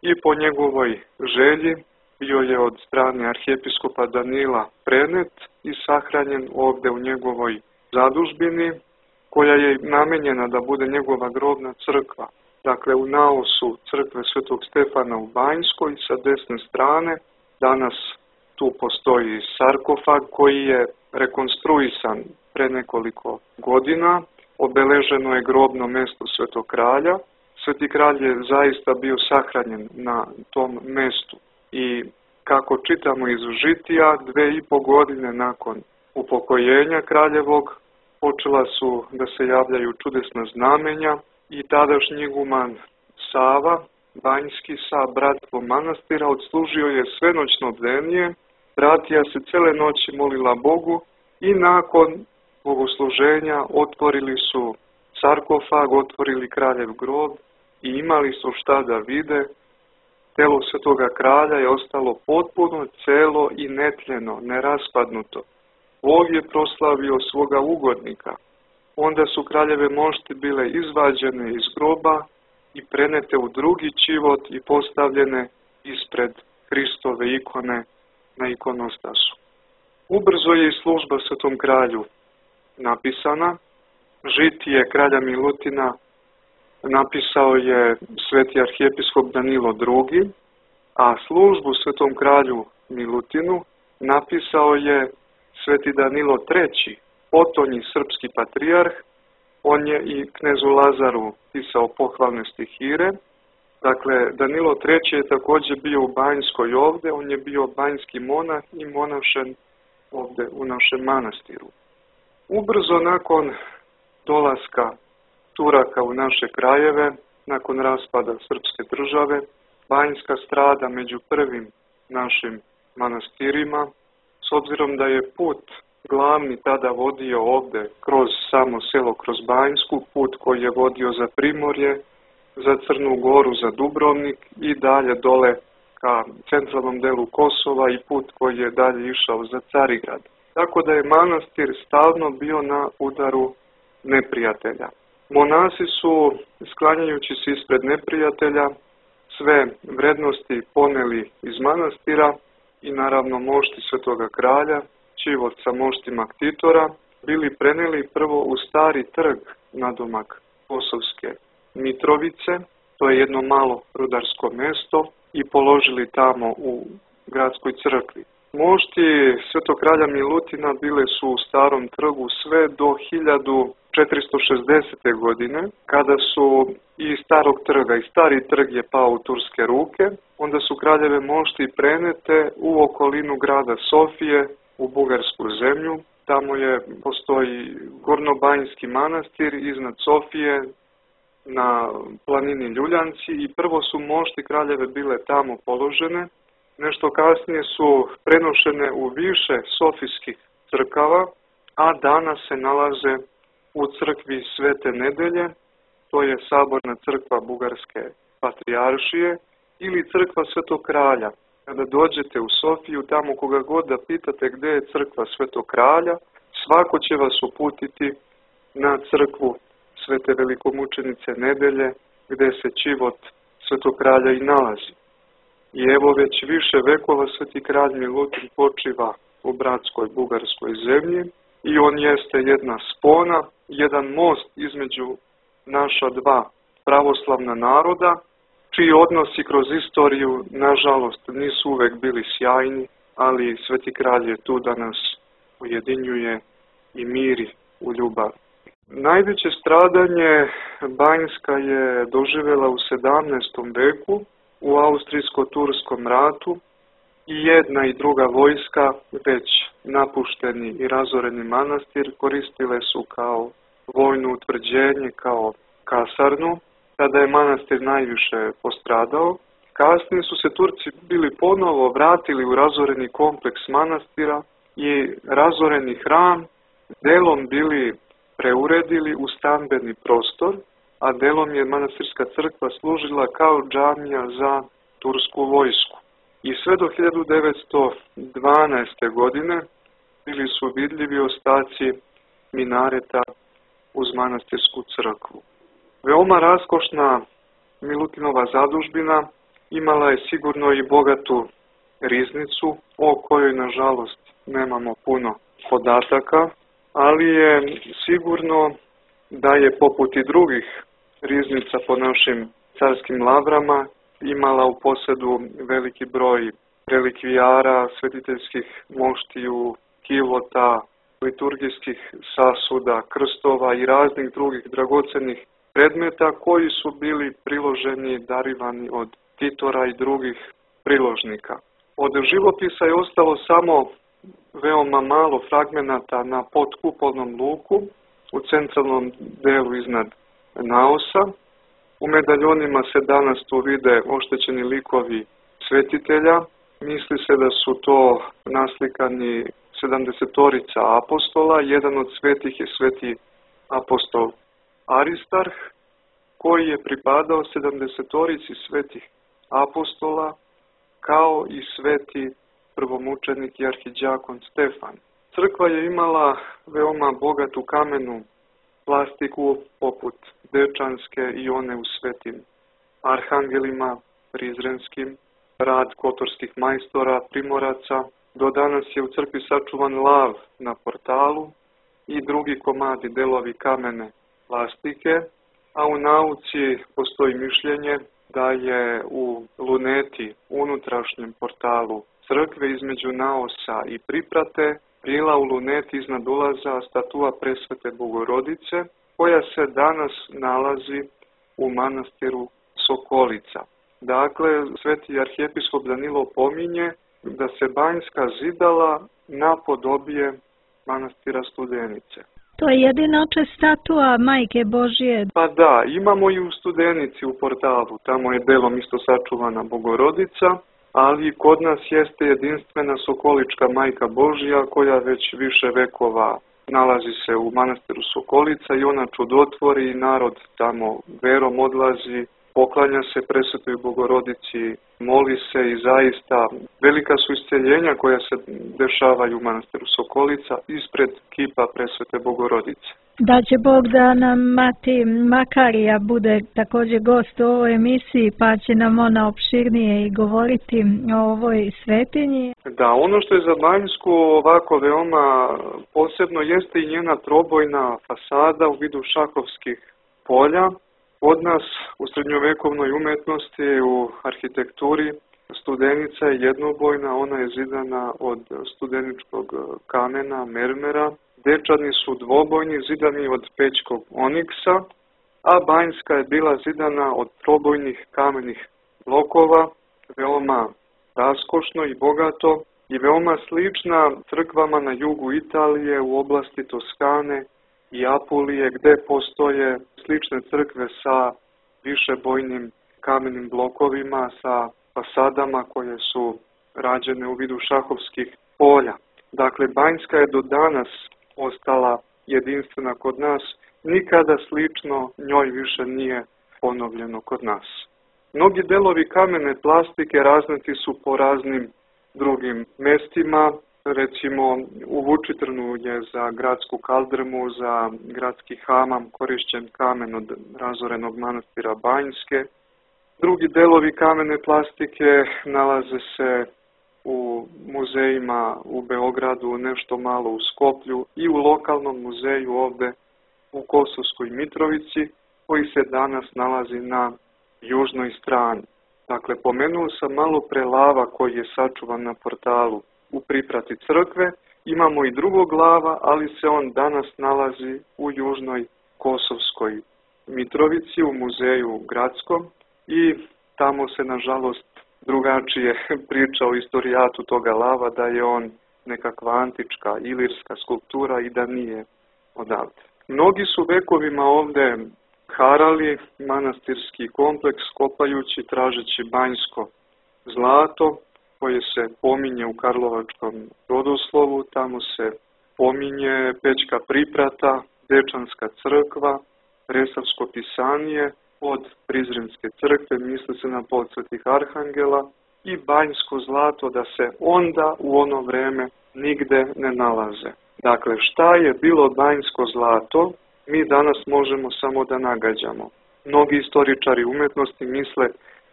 Speaker 6: i po njegovoj želji bio je od strane arhijepiskopa Danila prenet i sahranjen ovde u njegovoj zadužbini, koja je namenjena da bude njegova grobna crkva. Dakle, u naosu crkve Svetog Stefana u Banjskoj sa desne strane danas tu postoji sarkofag koji je rekonstruisan pre nekoliko godina. Obeleženo je grobno mesto Svetog kralja. Sveti kralj je zaista bio sahranjen na tom mestu i kako čitamo iz žitija, dve i po godine nakon upokojenja kraljevog počela su da se javljaju čudesna znamenja i tadašnji iguman Sava, Banjski sa bratstvom manastira, odslužio je svenoćno bdenije, bratija se cele noći molila Bogu i nakon bogosluženja otvorili su sarkofag, otvorili kraljev grob i imali su šta da vide. Telo Svetoga kralja je ostalo potpuno celo i netljeno, neraspadnuto. Bog je proslavio svoga ugodnika. Onda su kraljeve mošti bile izvađene iz groba i prenete u drugi čivot i postavljene ispred Hristove ikone na ikonostasu. Ubrzo je i služba Svetom kralju napisana. Žitije kralja Milutina napisao je sveti arhijepiskop Danilo drugi, a službu Svetom kralju Milutinu napisao je sveti Danilo treći, potonji srpski patrijarh. On je i knezu Lazaru pisao pohvalne stihire Dakle, Danilo treći je također bio u Banjskoj ovdje, on je bio banjski monah i monašen ovdje u našem manastiru. Ubrzo nakon dolaska Turaka u naše krajeve, nakon raspada srpske države, Banjska strada među prvim našim manastirima, s obzirom da je put glavni tada vodio ovdje kroz samo selo, kroz Banjsku, put koji je vodio za Primorje, za Crnu Goru, za Dubrovnik i dalje dole ka centralnom delu Kosova i put koji je dalje išao za Carigrad. Tako da je manastir stalno bio na udaru neprijatelja. Monasi su, sklanjajući se ispred neprijatelja, sve vrednosti poneli iz manastira i naravno mošti Svetoga kralja, Čivot sa moštima Ktitora, bili preneli prvo u stari trg nadomak Kosovske Mitrovice, to je jedno malo rudarsko mjesto, i položili tamo u gradskoj crkvi. Mošti Svetog kralja Milutina bile su u starom trgu sve do hiljadu četiristo šezdesete. godine, kada su i starog trga, i stari trg je pao u turske ruke, onda su kraljeve mošti prenete u okolinu grada Sofije, u bugarsku zemlju. Tamo je, postoji Gornobanjski manastir iznad Sofije, na planini Ljuljanci, i prvo su mošti kraljeve bile tamo položene. Nešto kasnije su prenošene u više sofijskih crkava, a danas se nalaze u crkvi Svete Nedelje, to je saborna crkva Bugarske patrijaršije, ili crkva Svetog kralja. Kada dođete u Sofiju, tamo koga god da pitate gdje je crkva Svetog kralja, svako će vas uputiti na crkvu Svete velikomučenice Nedelje, gdje se Čivot Svetog kralja i nalazi. I evo već više vekova Sveti kralj Milutin počiva u bratskoj bugarskoj zemlji i on jeste jedna spona, jedan most između naša dva pravoslavna naroda, čiji odnosi kroz istoriju, nažalost, nisu uvek bili sjajni, ali Sveti kralj je tu da nas ujedinjuje i miri u ljubav. Najveće stradanje Banjska je doživjela u sedamnaestom veku, u Austrijsko-turskom ratu, i jedna i druga vojska, već napušteni i razoreni manastir, koristile su kao vojno utvrđenje, kao kasarnu. Tada je manastir najviše postradao. Kasnije su se Turci bili ponovo vratili u razoreni kompleks manastira i razoreni hram delom bili preuredili u stambeni prostor, a delom je manastirska crkva služila kao džamija za tursku vojsku. I sve do hiljadu devetsto dvanaeste. godine bili su vidljivi ostaci minareta uz manastirsku crkvu. Veoma raskošna Milutinova zadužbina imala je sigurno i bogatu riznicu, o kojoj nažalost nemamo puno podataka, ali je sigurno da je poput i drugih riznica po našim carskim lavrama imala u posjedu veliki broj relikvijara, svetiteljskih moštiju, kilota, liturgijskih sasuda, krstova i raznih drugih dragocenih predmeta koji su bili priloženi, darivani od Titora i drugih priložnika. Od živopisa je ostalo samo veoma malo fragmenata na potkupolnom luku u centralnom delu iznad naosa. U medaljonima se danas tu vide oštećeni likovi svetitelja. Misli se da su to naslikani sedamdesetorica apostola. Jedan od svetih je sveti apostol Aristarh, koji je pripadao sedamdesetorici svetih apostola, kao i sveti prvomučenik i arhiđakon Stefan. Crkva je imala veoma bogatu kamenu plastiku poput Dečanske i one u svetim arhangelima prizrenskim, rad kotorskih majstora, primoraca. Do danas je u crkvi sačuvan lav na portalu i drugi komadi delovi kamene plastike, a u nauci postoji mišljenje da je u luneti, unutrašnjem portalu crkve između naosa i priprate, bila u luneti iznad ulaza statua Presvete Bogorodice, koja se danas nalazi u manastiru Sokolica. Dakle, sveti arhijepiskop Danilo pominje da se Banjska zidala napodobije manastira Studenice.
Speaker 5: To je jedinoče statua Majke Božije.
Speaker 6: Pa da, imamo i u Studenici u portalu, tamo je delom isto sačuvana Bogorodica, ali kod nas jeste jedinstvena Sokolička Majka Božija koja već više vekova nalazi se u manastiru Sokolica i ona čudotvori i narod tamo verom odlazi, poklanja se Presvetoj Bogorodici, moli se i zaista velika su isceljenja koja se dešavaju u manastiru Sokolica ispred kipa Presvete Bogorodice.
Speaker 5: Da će Bog da nam mati Makarija bude također gost u ovoj emisiji, pa će nam ona opširnije i govoriti o ovoj svetinji.
Speaker 6: Da, ono što je za Banjsku ovako veoma posebno jeste i njena trobojna fasada u vidu šahovskih polja. Od nas u srednjovekovnoj umetnosti, u arhitekturi, Studenica je jednobojna, ona je zidana od studeničkog kamena, mermera. Dečani su dvobojni, zidani od pećkog oniksa, a Banjska je bila zidana od trobojnih kamenih blokova, veoma raskošno i bogato i veoma slična crkvama na jugu Italije u oblasti Toskane i Apulije, gde postoje slične crkve sa višebojnim kamenim blokovima, sa fasadama koje su rađene u vidu šahovskih polja. Dakle, Banjska je do danas ostala jedinstvena kod nas, nikada slično njoj više nije ponovljeno kod nas. Mnogi delovi kamene plastike raznati su po raznim drugim mestima, recimo u Vučitrnu je za gradsku kaldrmu, za gradski hamam korišćen kamen od razorenog manastira Banjske. Drugi delovi kamene plastike nalaze se u muzejima u Beogradu, nešto malo u Skoplju i u lokalnom muzeju ovde u Kosovskoj Mitrovici, koji se danas nalazi na južnoj strani. Dakle, pomenuo sam malo pre lava koji je sačuvan na portalu u priprati crkve. Imamo i drugog lava, ali se on danas nalazi u južnoj Kosovskoj Mitrovici, u muzeju gradskom i tamo se, nažalost, drugačije priča o istorijatu toga lava, da je on nekakva antička ilirska skulptura i da nije odavde. Mnogi su vekovima ovde harali manastirski kompleks kopajući, tražeći banjsko zlato koje se pominje u Karlovačkom rodoslovu. Tamo se pominje Pećka priprata, Dečanska crkva, Resavsko pisanije od Prizrenske crkve, misli se na podsvetih arhangela, i banjsko zlato da se onda u ono vreme nigde ne nalaze. Dakle, šta je bilo banjsko zlato, mi danas možemo samo da nagađamo. Mnogi istoričari umetnosti misle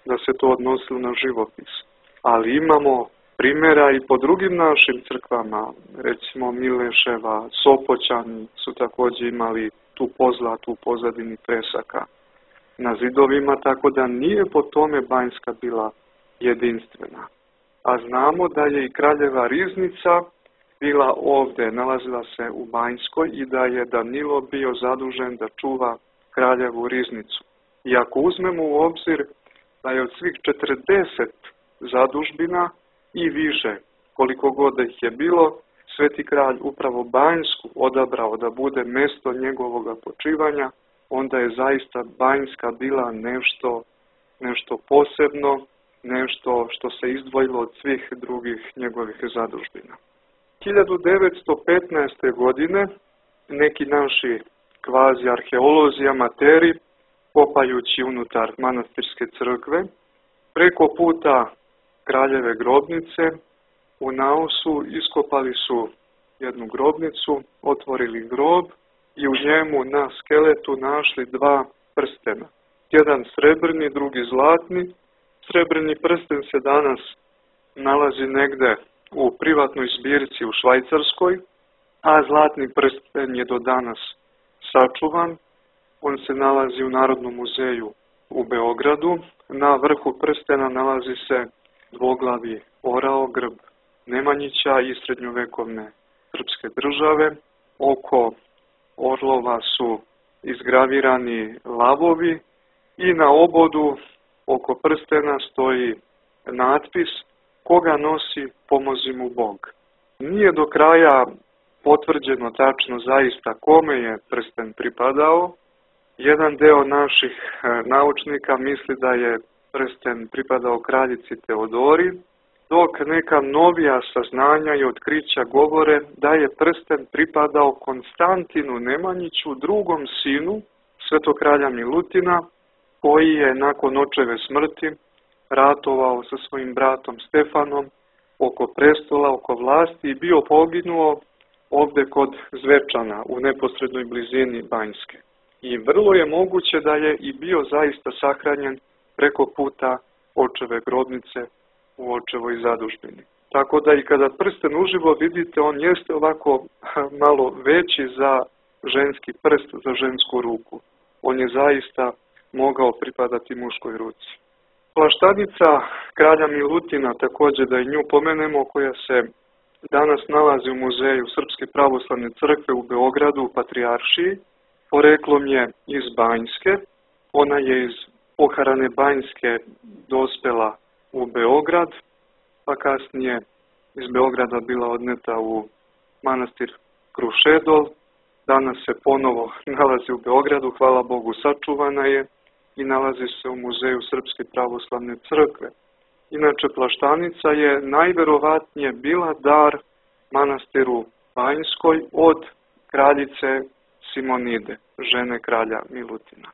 Speaker 6: da se to odnosilo na živopis, ali imamo primjera i po drugim našim crkvama, recimo Mileševa, Sopoćani su također imali tu pozlatu u pozadini presaka na zidovima, tako da nije po tome Banjska bila jedinstvena. A znamo da je i kraljeva riznica bila ovde, nalazila se u Banjskoj i da je Danilo bio zadužen da čuva kraljevu riznicu. I ako uzmemo u obzir da je od svih četrdeset zadužbina i više, koliko god da ih je bilo, sveti kralj upravo Banjsku odabrao da bude mesto njegovog počivanja, onda je zaista Banjska bila nešto, nešto posebno, nešto što se izdvojilo od svih drugih njegovih zadužbina. hiljadu devetsto petnaeste. godine neki naši kvazi arheolozi, amateri, kopajući unutar manastirske crkve, preko puta kraljeve grobnice u naosu iskopali su jednu grobnicu, otvorili grob i u njemu na skeletu našli dva prstena. Jedan srebrni, drugi zlatni. Srebrni prsten se danas nalazi negde u privatnoj zbirci u Švajcarskoj, a zlatni prsten je do danas sačuvan. On se nalazi u Narodnom muzeju u Beogradu. Na vrhu prstena nalazi se dvoglavi orao, grb Nemanjića i srednjovekovne srpske države. Oko orlova su izgravirani lavovi i na obodu oko prstena stoji natpis koga nosi, pomozi mu Bog. Nije do kraja potvrđeno tačno zaista kome je prsten pripadao. Jedan deo naših naučnika misli da je prsten pripadao kraljici Teodori, dok neka novija saznanja i otkrića govore da je prsten pripadao Konstantinu Nemanjiću, drugom sinu svetog kralja Milutina, koji je nakon očeve smrti ratovao sa svojim bratom Stefanom oko prestola, oko vlasti i bio poginuo ovde kod Zvečana u neposrednoj blizini Banjske. I vrlo je moguće da je i bio zaista sahranjen preko puta očeve grobnice u očevoj zadužbini. Tako da i kada prsten uživo vidite, on jeste ovako malo veći za ženski prst, za žensku ruku. On je zaista mogao pripadati muškoj ruci. Plaštanica kralja Milutina, također da i nju pomenemo, koja se danas nalazi u muzeju Srpske pravoslavne crkve u Beogradu u Patrijaršiji, poreklom je iz Banjske. Ona je iz poharane Banjske dospela u Beograd, pa kasnije iz Beograda bila odneta u manastir Krušedol. Danas se ponovo nalazi u Beogradu, hvala Bogu sačuvana je i nalazi se u muzeju Srpske pravoslavne crkve. Inače, Plaštanica je najverovatnije bila dar manastiru Banjskoj od kraljice Simonide, žene kralja Milutina.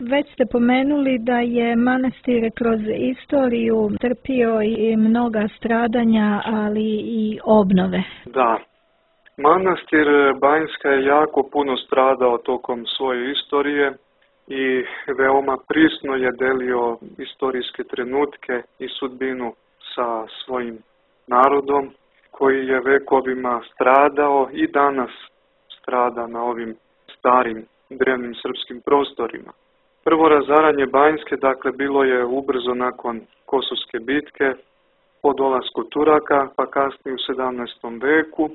Speaker 4: Već
Speaker 5: ste pomenuli da je manastir kroz istoriju trpio i mnoga stradanja, ali i obnove.
Speaker 6: Da. Manastir Banjska je jako puno stradao tokom svoje istorije i veoma prisno je delio istorijske trenutke i sudbinu sa svojim narodom koji je vekovima stradao i danas strada na ovim starim drevnim srpskim prostorima. Prvo razaranje Banjske, dakle, bilo je ubrzo nakon Kosovske bitke po dolasku Turaka, pa kasnije u sedamnaestom veku,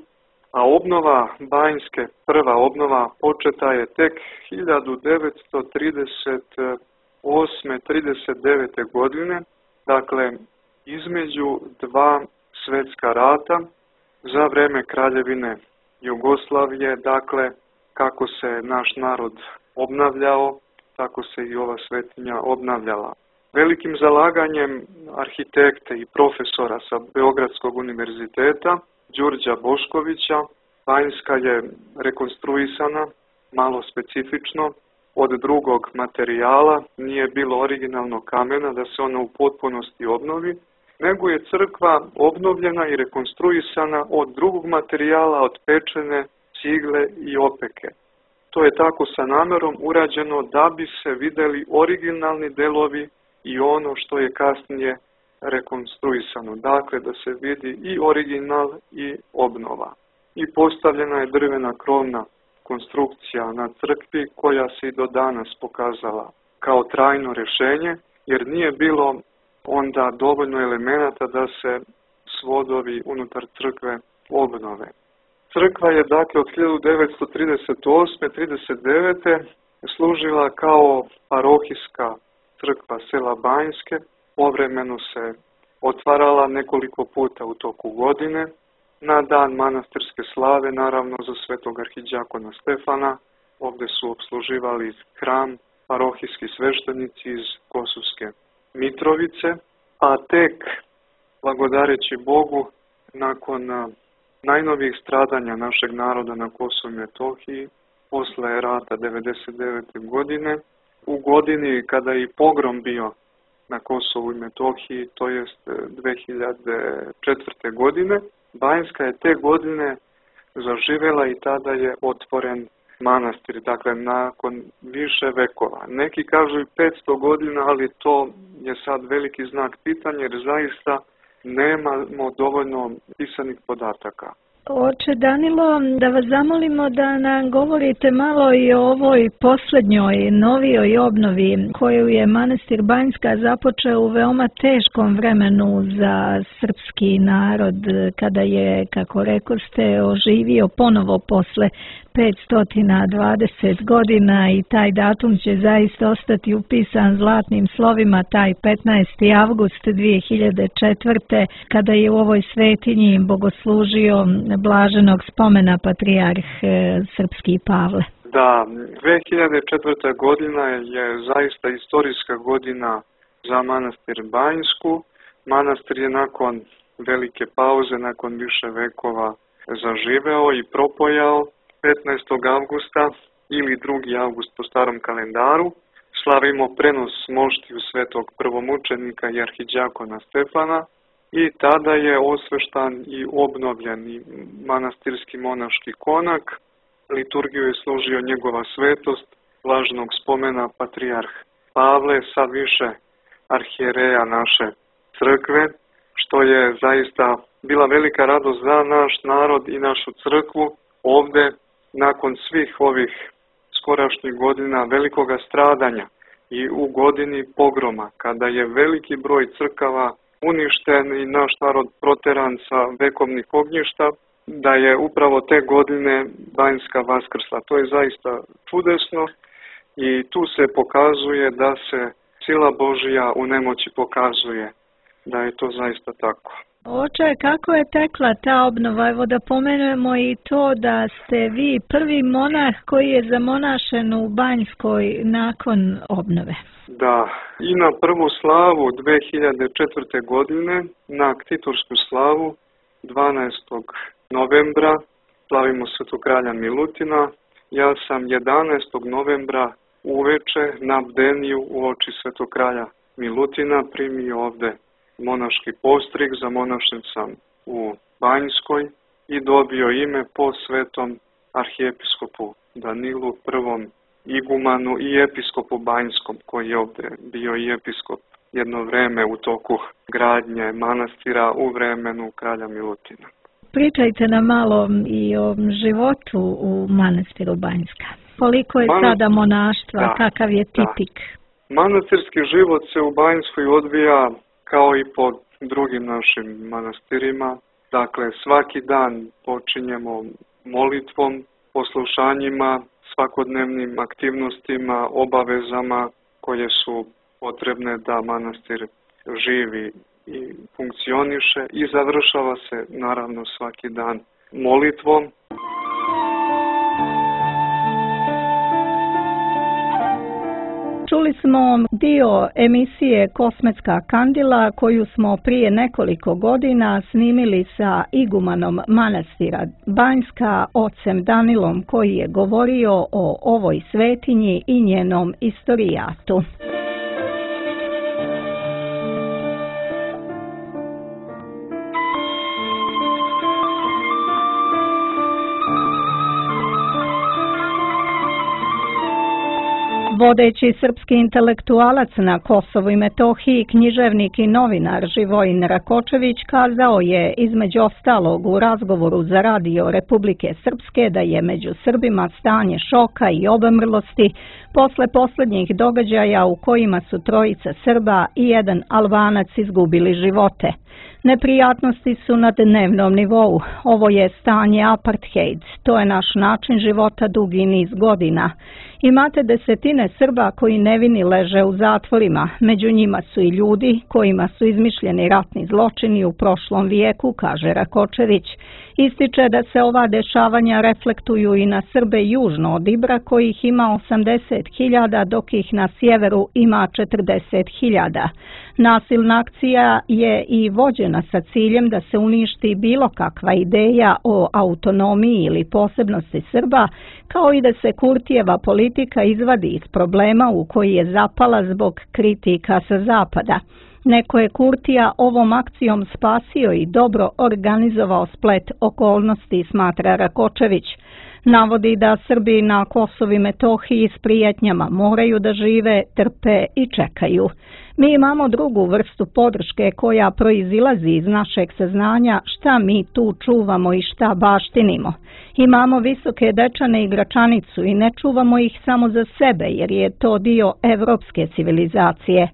Speaker 6: a obnova Banjske, prva obnova, početa je tek hiljadu devetsto trideset osme trideset devete. godine, dakle, između dva svetska rata za vreme kraljevine Jugoslavije, dakle, kako se naš narod obnavljao, tako se i ova svetinja obnavljala. Velikim zalaganjem arhitekte i profesora sa Beogradskog univerziteta, Đurđa Boškovića, Banjska je rekonstruisana, malo specifično, od drugog materijala, nije bilo originalnog kamena da se ona u potpunosti obnovi, nego je crkva obnovljena i rekonstruisana od drugog materijala, od pečene, cigle i opeke. To je tako sa namerom urađeno da bi se videli originalni delovi i ono što je kasnije rekonstruisano. Dakle, da se vidi i original i obnova. I postavljena je drvena krovna konstrukcija na crkvi koja se i do danas pokazala kao trajno rješenje, jer nije bilo onda dovoljno elemenata da se svodovi unutar crkve obnove. Crkva je dakle od hiljadu devetsto trideset osme trideset devete. služila kao parohijska crkva sela Banjske, povremeno se otvarala nekoliko puta u toku godine, na dan manastirske slave, naravno za svetog arhidjakona Stefana. Ovdje su obsluživali hram parohijski sveštenici iz Kosovske Mitrovice, a tek, blagodareći Bogu, nakon najnovijih stradanja našeg naroda na Kosovu i Metohiji, posle rata devedeset devete. godine, u godini kada je i pogrom bio na Kosovu i Metohiji, to jest dve hiljade četvrte. godine, Banjska je te godine zaživjela i tada je otvoren manastir, dakle nakon više vekova. Neki kažu i petsto godina, ali to je sad veliki znak pitanja jer zaista nemamo dovoljno pisanih podataka.
Speaker 5: Oče Danilo, da vas zamolimo da nam govorite malo i o ovoj posljednjoj, novijoj obnovi koju je manastir Banjska započeo u veoma teškom vremenu za srpski narod, kada je, kako rekoste, oživio ponovo posle petsto dvadeset godina i taj datum će zaista ostati upisan zlatnim slovima, taj petnaesti avgust dve hiljade četvrte. kada je u ovoj svetinji bogoslužio blaženog spomena patrijarh srpski Pavle.
Speaker 6: Da, dve hiljade četvrta. godina je zaista istorijska godina za manastir Banjsku. Manastir je nakon velike pauze, nakon više vekova zaživeo i propojao. petnaestog avgusta ili drugi avgust po starom kalendaru slavimo prenos moštiju svetog prvomučenika i arhidjakona Stefana i tada je osveštan i obnovljen i manastirski monaški konak. Liturgiju je služio njegova svetost, blaženog spomena patrijarh Pavle, sa više arhijereja naše crkve, što je zaista bila velika radost za naš narod i našu crkvu. Ovdje, nakon svih ovih skorašnjih godina velikoga stradanja i u godini pogroma, kada je veliki broj crkava uništen i naš narod proteran sa vekovnih ognjišta, da je upravo te godine Banjska vaskrsla. To je zaista čudesno i tu se pokazuje da se sila Božja u nemoći pokazuje, da je to zaista tako.
Speaker 5: Oče, kako je tekla ta obnova? Evo da pomenujemo i to da ste vi prvi monah koji je zamonašen u Banjskoj nakon obnove.
Speaker 6: Da, i na prvu slavu dve hiljade četvrte. godine, na ktitorsku slavu dvanaestog novembra, slavimo svetog kralja Milutina. Ja sam jedanaestog novembra uveče na bdeniju u oči svetog kralja Milutina primio ovde monaški postrig, zamonašen sam u Banjskoj i dobio ime po svetom arhijepiskopu Danilu, prvom igumanu i episkopu Banjskom, koji je ovde bio i episkop jedno vreme u toku gradnje manastira u vremenu kralja Milutina.
Speaker 5: Pričajte nam malo i o životu u manastiru Banjska. Koliko je
Speaker 6: Manastir,
Speaker 5: sada monaštva, da, kakav je tipik?
Speaker 6: Da. Manastirski život se u Banjskoj odvija kao i po drugim našim manastirima. Dakle, svaki dan počinjemo molitvom, poslušanjima, svakodnevnim aktivnostima, obavezama koje su potrebne da manastir živi i funkcioniše i završava se naravno svaki dan molitvom.
Speaker 4: Čuli smo dio emisije Kosmetska kandila koju smo prije nekoliko godina snimili sa igumanom manastira Banjska, ocem Danilom, koji je govorio o ovoj svetinji i njenom istorijatu. Vodeći srpski intelektualac na Kosovu i Metohiji, književnik i novinar Živojin Rakočević kazao je između ostalog u razgovoru za radio Republike Srpske da je među Srbima stanje šoka i obemrlosti posle posljednjih događaja u kojima su trojica Srba i jedan Albanac izgubili živote. Neprijatnosti su na dnevnom nivou. Ovo je stanje apartheid. To je naš način života dugi niz godina. Imate desetine Srba koji nevini leže u zatvorima. Među njima su i ljudi kojima su izmišljeni ratni zločini u prošlom vijeku, kaže Rakočević. Ističe da se ova dešavanja reflektuju i na Srbe južno od Ibra, kojih ima osamdeset hiljada, dok ih na sjeveru ima četrdeset hiljada. Nasilna akcija je i vođena sa ciljem da se uništi bilo kakva ideja o autonomiji ili posebnosti Srba, kao i da se Kurtijeva politika izvadi iz problema u koji je zapala zbog kritika sa zapada. Neko je Kurtija ovom akcijom spasio i dobro organizovao splet okolnosti, smatra Rakočević. Navodi da Srbi na Kosovu i Metohiji s prijetnjama moraju da žive, trpe i čekaju. Mi imamo drugu vrstu podrške koja proizilazi iz našeg saznanja šta mi tu čuvamo i šta baštinimo. Imamo visoke dečane i gračanicu i ne čuvamo ih samo za sebe jer je to dio evropske civilizacije.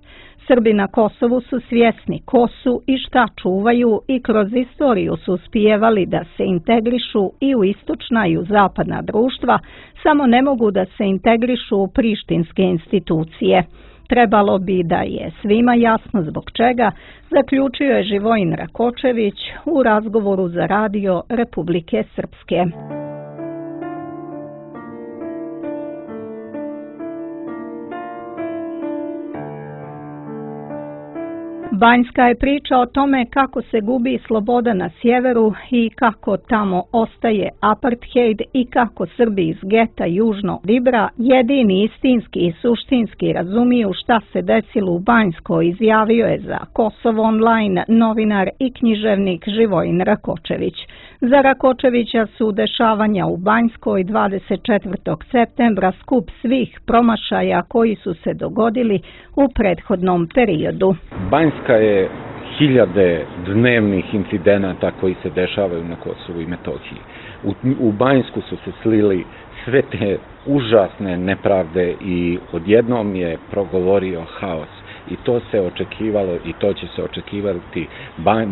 Speaker 4: Srbi na Kosovu su svjesni ko su i šta čuvaju i kroz istoriju su uspijevali da se integrišu i u istočna i u zapadna društva, samo ne mogu da se integrišu u prištinske institucije. Trebalo bi da je svima jasno zbog čega, zaključio je Živojin Rakočević u razgovoru za radio Republike Srpske. Banjska je priča o tome kako se gubi sloboda na sjeveru i kako tamo ostaje apartheid i kako Srbi iz geta južno od Ibra jedini istinski i suštinski razumiju šta se desilo u Banjskoj, izjavio je za Kosovo online novinar i književnik Živojin Rakočević. Za Rakočevića su dešavanja u Banjskoj dvadeset četvrtog septembra skup svih promašaja koji su se dogodili u prethodnom periodu.
Speaker 8: Banjska je hiljade dnevnih incidenata koji se dešavaju na Kosovu i Metohiji. U, u Banjsku su se slili sve te užasne nepravde i odjednom je progovorio haos. I to se očekivalo i to će se očekivati.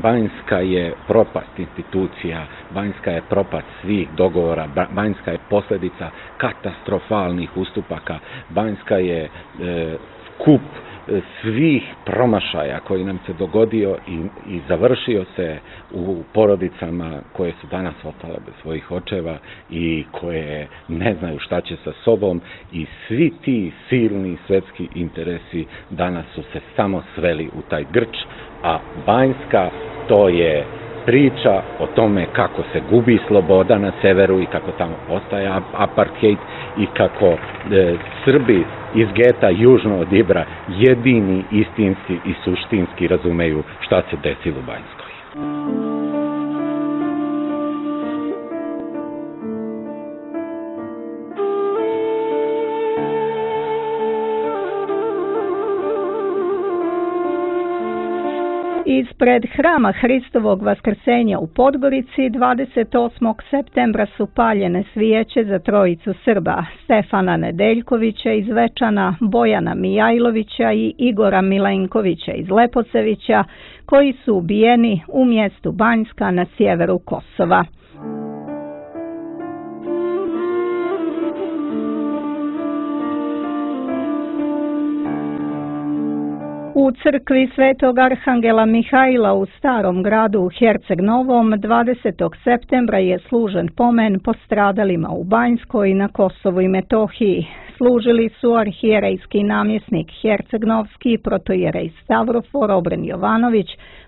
Speaker 8: Banjska je propast institucija, Banjska je propast svih dogovora, Banjska je posljedica katastrofalnih ustupaka, Banjska je e, skup svih promašaja koji nam se dogodio i, i završio se u porodicama koje su danas ostale bez svojih očeva i koje ne znaju šta će sa sobom i svi ti silni svetski interesi danas su se samo sveli u taj grč, a Banjska to je priča o tome kako se gubi sloboda na severu i kako tamo ostaje apartheid i kako e, Srbi iz geta južno od Ibra jedini istinski i suštinski razumeju šta se desilo u Banjskoj.
Speaker 4: Ispred hrama Hristovog vaskrsenja u Podgorici dvadeset osmog septembra su paljene svijeće za trojicu Srba, Stefana Nedeljkovića iz Večana, Bojana Mijajlovića i Igora Milenkovića iz Lepocevića, koji su ubijeni u mjestu Banjska na sjeveru Kosova. U crkvi Svetog Arhangela Mihajla u Starom gradu u Herceg Novom dvadesetog septembra je služen pomen postradalima u Banjskoj na Kosovu i Metohiji. Služili su arhijerejski namjesnik Hercegnovski, protojerej Stavrofor Obren Jovanović,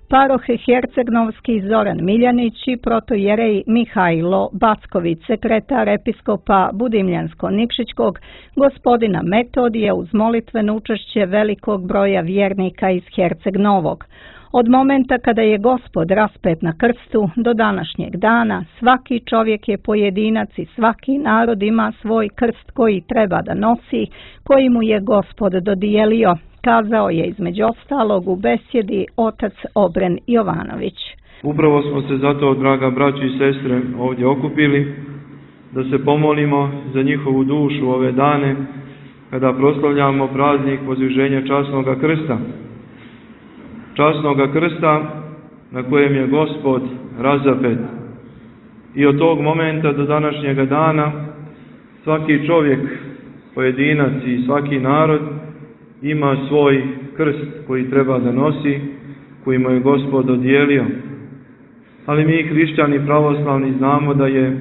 Speaker 4: paroh Hercegnovski Zoran Miljanić i protojerej Mihajlo Backović, sekretar episkopa Budimljansko-Nikšićkog, gospodina Metodija, uz molitveno učešće velikog broja vjernika iz Herceg Novog. Od momenta kada je Gospod raspet na krstu do današnjeg dana, svaki čovjek je pojedinac i svaki narod ima svoj krst koji treba da nosi, koji mu je Gospod dodijelio, kazao je između ostalog u besjedi otac Obren Jovanović.
Speaker 9: Upravo smo se zato, draga braći i sestre, ovdje okupili da se pomolimo za njihovu dušu ove dane kada proslavljamo praznik Vozdviženja časnoga krsta. Časnoga krsta na kojem je Gospod razapet. I od tog momenta do današnjega dana svaki čovjek, pojedinac i svaki narod ima svoj krst koji treba da nosi, koji mu je Gospod dodijelio. Ali mi hrišćani pravoslavni znamo da je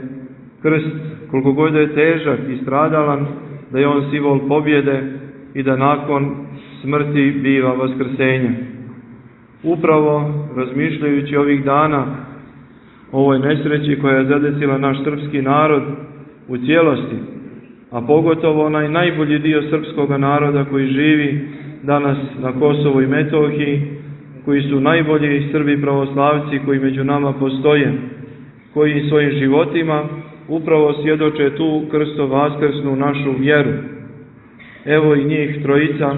Speaker 9: krst, koliko god je težak i stradalan, da je on simbol pobjede i da nakon smrti biva vaskrsenje. Upravo razmišljajući ovih dana o ovoj nesreći koja je zadesila naš srpski narod u cijelosti, a pogotovo onaj najbolji dio srpskog naroda koji živi danas na Kosovu i Metohiji, koji su najbolji Srbi pravoslavci koji među nama postoje, koji svojim životima upravo svjedoče tu krsto vaskrsnu našu vjeru. Evo i njih trojica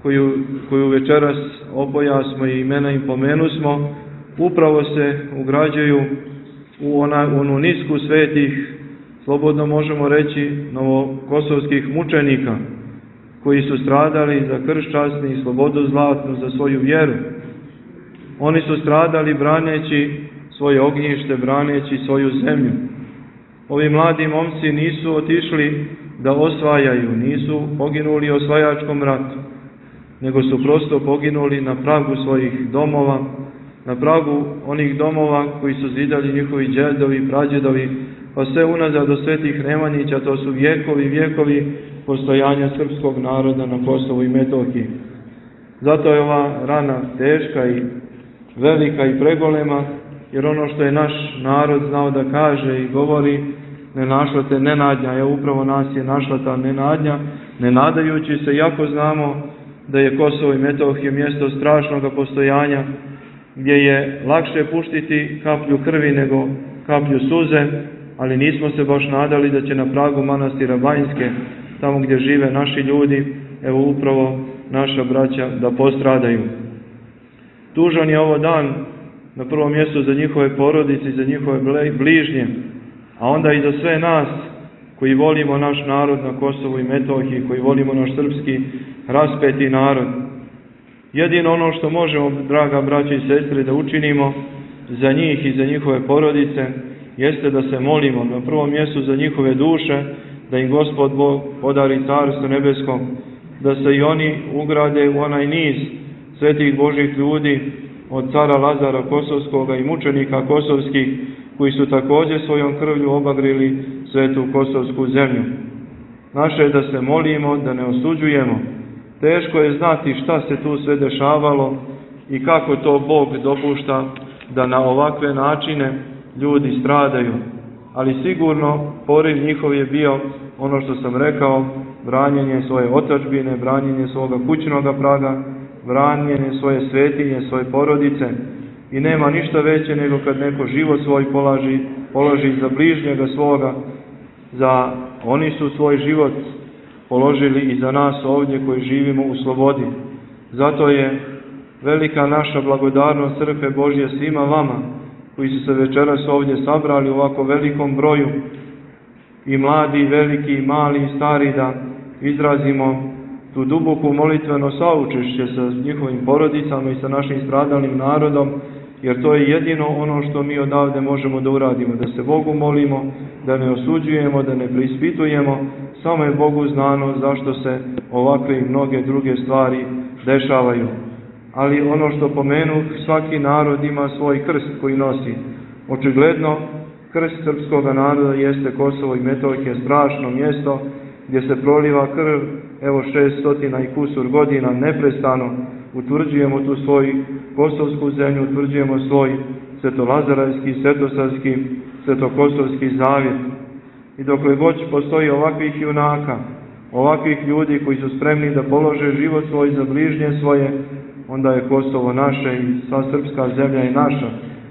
Speaker 9: koju, koju večeras opojasmo i imena im pomenusmo, upravo se ugrađuju u ona, onu nisku svetih, slobodno možemo reći, novokosovskih mučenika, koji su stradali za krst časni i slobodu zlatnu, za svoju vjeru. Oni su stradali braneći svoje ognjište, braneći svoju zemlju. Ovi mladi momci nisu otišli da osvajaju, nisu poginuli u osvajačkom ratu, nego su prosto poginuli na pragu svojih domova, na pragu onih domova koji su zidali njihovi džedovi, prađedovi, pa sve unazad do svetih Nemanjića. To su vjekovi, vjekovi postojanja srpskog naroda na Kosovu i Metohiji. Zato je ova rana teška i velika i pregolema, jer ono što je naš narod znao da kaže i govori, ne našla te nenadnja, je upravo nas je našla ta nenadnja, ne nadajući se, iako znamo da je Kosovo i Metohija mjesto strašnog postojanja, gdje je lakše puštiti kaplju krvi nego kaplju suze, ali nismo se baš nadali da će na pragu manastira Banjske, tamo gdje žive naši ljudi, evo upravo naša braća da postradaju. Tužan je ovo dan na prvom mjestu za njihove porodice i za njihove bližnje, a onda i za sve nas koji volimo naš narod na Kosovu i Metohiji, koji volimo naš srpski raspeti narod. Jedino ono što možemo, draga braća i sestre, da učinimo za njih i za njihove porodice, jeste da se molimo na prvom mjestu za njihove duše, da im Gospod Bog podari Carstvo nebesko, da se i oni ugrade u onaj niz svetih Božih ljudi, od cara Lazara Kosovskoga i mučenika kosovskih, koji su također svojom krvlju obagrili svetu kosovsku zemlju. Naše je da se molimo, da ne osuđujemo. Teško je znati šta se tu sve dešavalo i kako to Bog dopušta da na ovakve načine ljudi stradaju. Ali sigurno poriv njihov je bio ono što sam rekao, branjenje svoje otadžbine, branjenje svoga kućnoga praga, branjenje svoje svetinje, svoje porodice. I nema ništa veće nego kad neko život svoj polaži, položi za bližnjega svoga, za oni su svoj život položili i za nas ovdje koji živimo u slobodi. Zato je velika naša blagodarnost Crkve Božje svima vama koji su se večeras ovdje sabrali u ovako velikom broju, i mladi, i veliki, i mali, i stari, da izrazimo tu duboku molitveno saučešće sa njihovim porodicama i sa našim stradalnim narodom, jer to je jedino ono što mi odavde možemo da uradimo, da se Bogu molimo, da ne osuđujemo, da ne preispitujemo, samo je Bogu znano zašto se ovakve i mnoge druge stvari dešavaju. Ali ono što pomenu, svaki narod ima svoj krst koji nosi. Očigledno, krst srpskog naroda jeste Kosovo i Metohija, strašno mjesto gdje se proliva krv, evo šeststotina i kusur godina neprestano. Utvrđujemo tu svoju kosovsku zemlju, utvrđujemo svoj svetolazarajski, svetosavski, svetokosovski zavjet. I dokle god postoji ovakvih junaka, ovakvih ljudi koji su spremni da polože život svoj za bližnje svoje, onda je Kosovo naše i sva srpska zemlja je naša.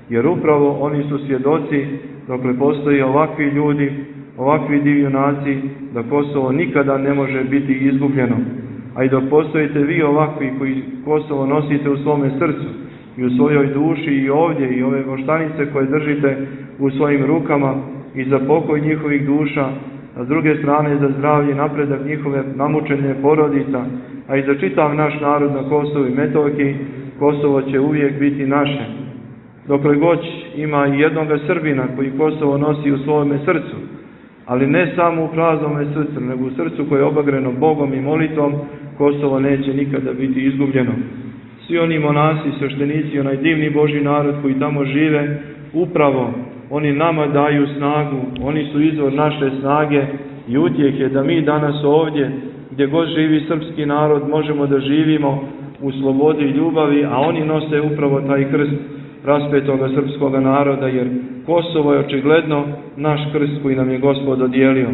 Speaker 9: Jer upravo oni su svjedoci, dokle postoji ovakvi ljudi, ovakvi divjunaci, da Kosovo nikada ne može biti izgubljeno. A i dok postojite vi ovakvi koji Kosovo nosite u svome srcu i u svojoj duši i ovdje, i ove voštanice koje držite u svojim rukama i za pokoj njihovih duša, a s druge strane za zdravlje i napredak njihove namučene porodica, a i za čitav naš narod na Kosovu i Metohiji, Kosovo će uvijek biti naše. Dokle god ima i jednoga Srbina koji Kosovo nosi u svome srcu, ali ne samo u praznome srcu, nego u srcu koje je obagreno Bogom i molitvom, Kosovo neće nikada biti izgubljeno. Svi oni monasi, sveštenici, onaj divni Božji narod koji tamo žive, upravo oni nama daju snagu, oni su izvor naše snage i utjehe da mi danas ovdje, gdje god živi srpski narod, možemo da živimo u slobodi i ljubavi, a oni nose upravo taj krst raspetoga srpskoga naroda, jer Kosovo je očigledno naš krst koji nam je Gospod dodijelio.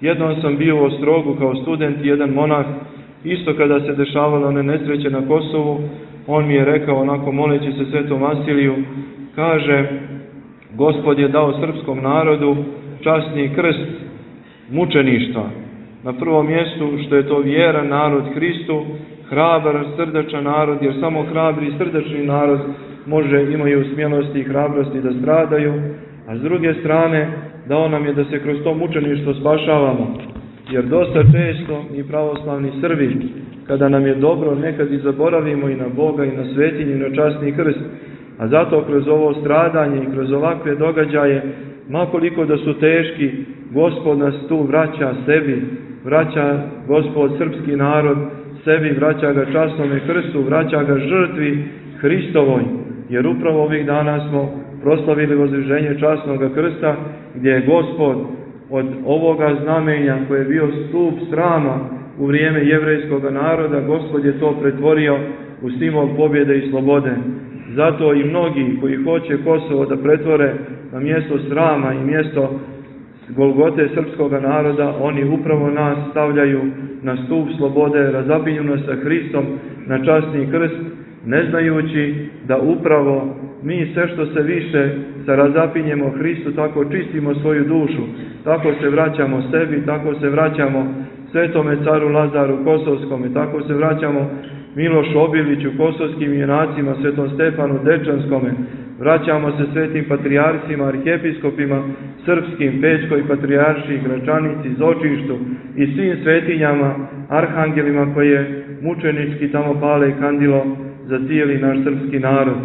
Speaker 9: Jednom sam bio u Ostrogu kao student, jedan monah, isto kada se dešavalo one nesreće na Kosovu, on mi je rekao, onako moleći se Svetom Vasiliju, kaže, Gospod je dao srpskom narodu časni krst mučeništva. Na prvom mjestu što je to vjeran narod Hristu, hrabar, srdačan narod, jer samo hrabri i srdačni narod može, imaju smjelosti i hrabrosti da stradaju, a s druge strane dao nam je da se kroz to mučeništvo spašavamo. Jer dosta često i pravoslavni Srbi, kada nam je dobro, nekad i zaboravimo i na Boga i na svetinju i na časni krst, a zato kroz ovo stradanje i kroz ovakve događaje, makoliko da su teški, Gospod nas tu vraća sebi, vraća Gospod srpski narod sebi, vraća ga časnome krstu, vraća ga žrtvi Hristovoj, jer upravo ovih dana smo proslavili vozdviženje časnog krsta, gdje je Gospod od ovoga znamenja koje je bio stup srama u vrijeme jevrejskog naroda, Gospod je to pretvorio u simbol pobjede i slobode. Zato i mnogi koji hoće Kosovo da pretvore na mjesto srama i mjesto Golgote srpskog naroda, oni upravo nas stavljaju na stup slobode, razapinju nas sa Hristom na časni krst, ne znajući da upravo mi sve što se više sa razapinjemo Hristu, tako čistimo svoju dušu, tako se vraćamo sebi, tako se vraćamo Svetome caru Lazaru Kosovskome, tako se vraćamo Milošu Obiliću, kosovskim junacima, Svetom Stefanu Dečanskome, vraćamo se svetim patrijarcima, arhijepiskopima, srpskim, Pećkoj patrijaršiji, Gračanici, Zočištu i svim svetinjama, arhangelima koje mučenički tamo pale i kandilo za cijeli naš srpski narod.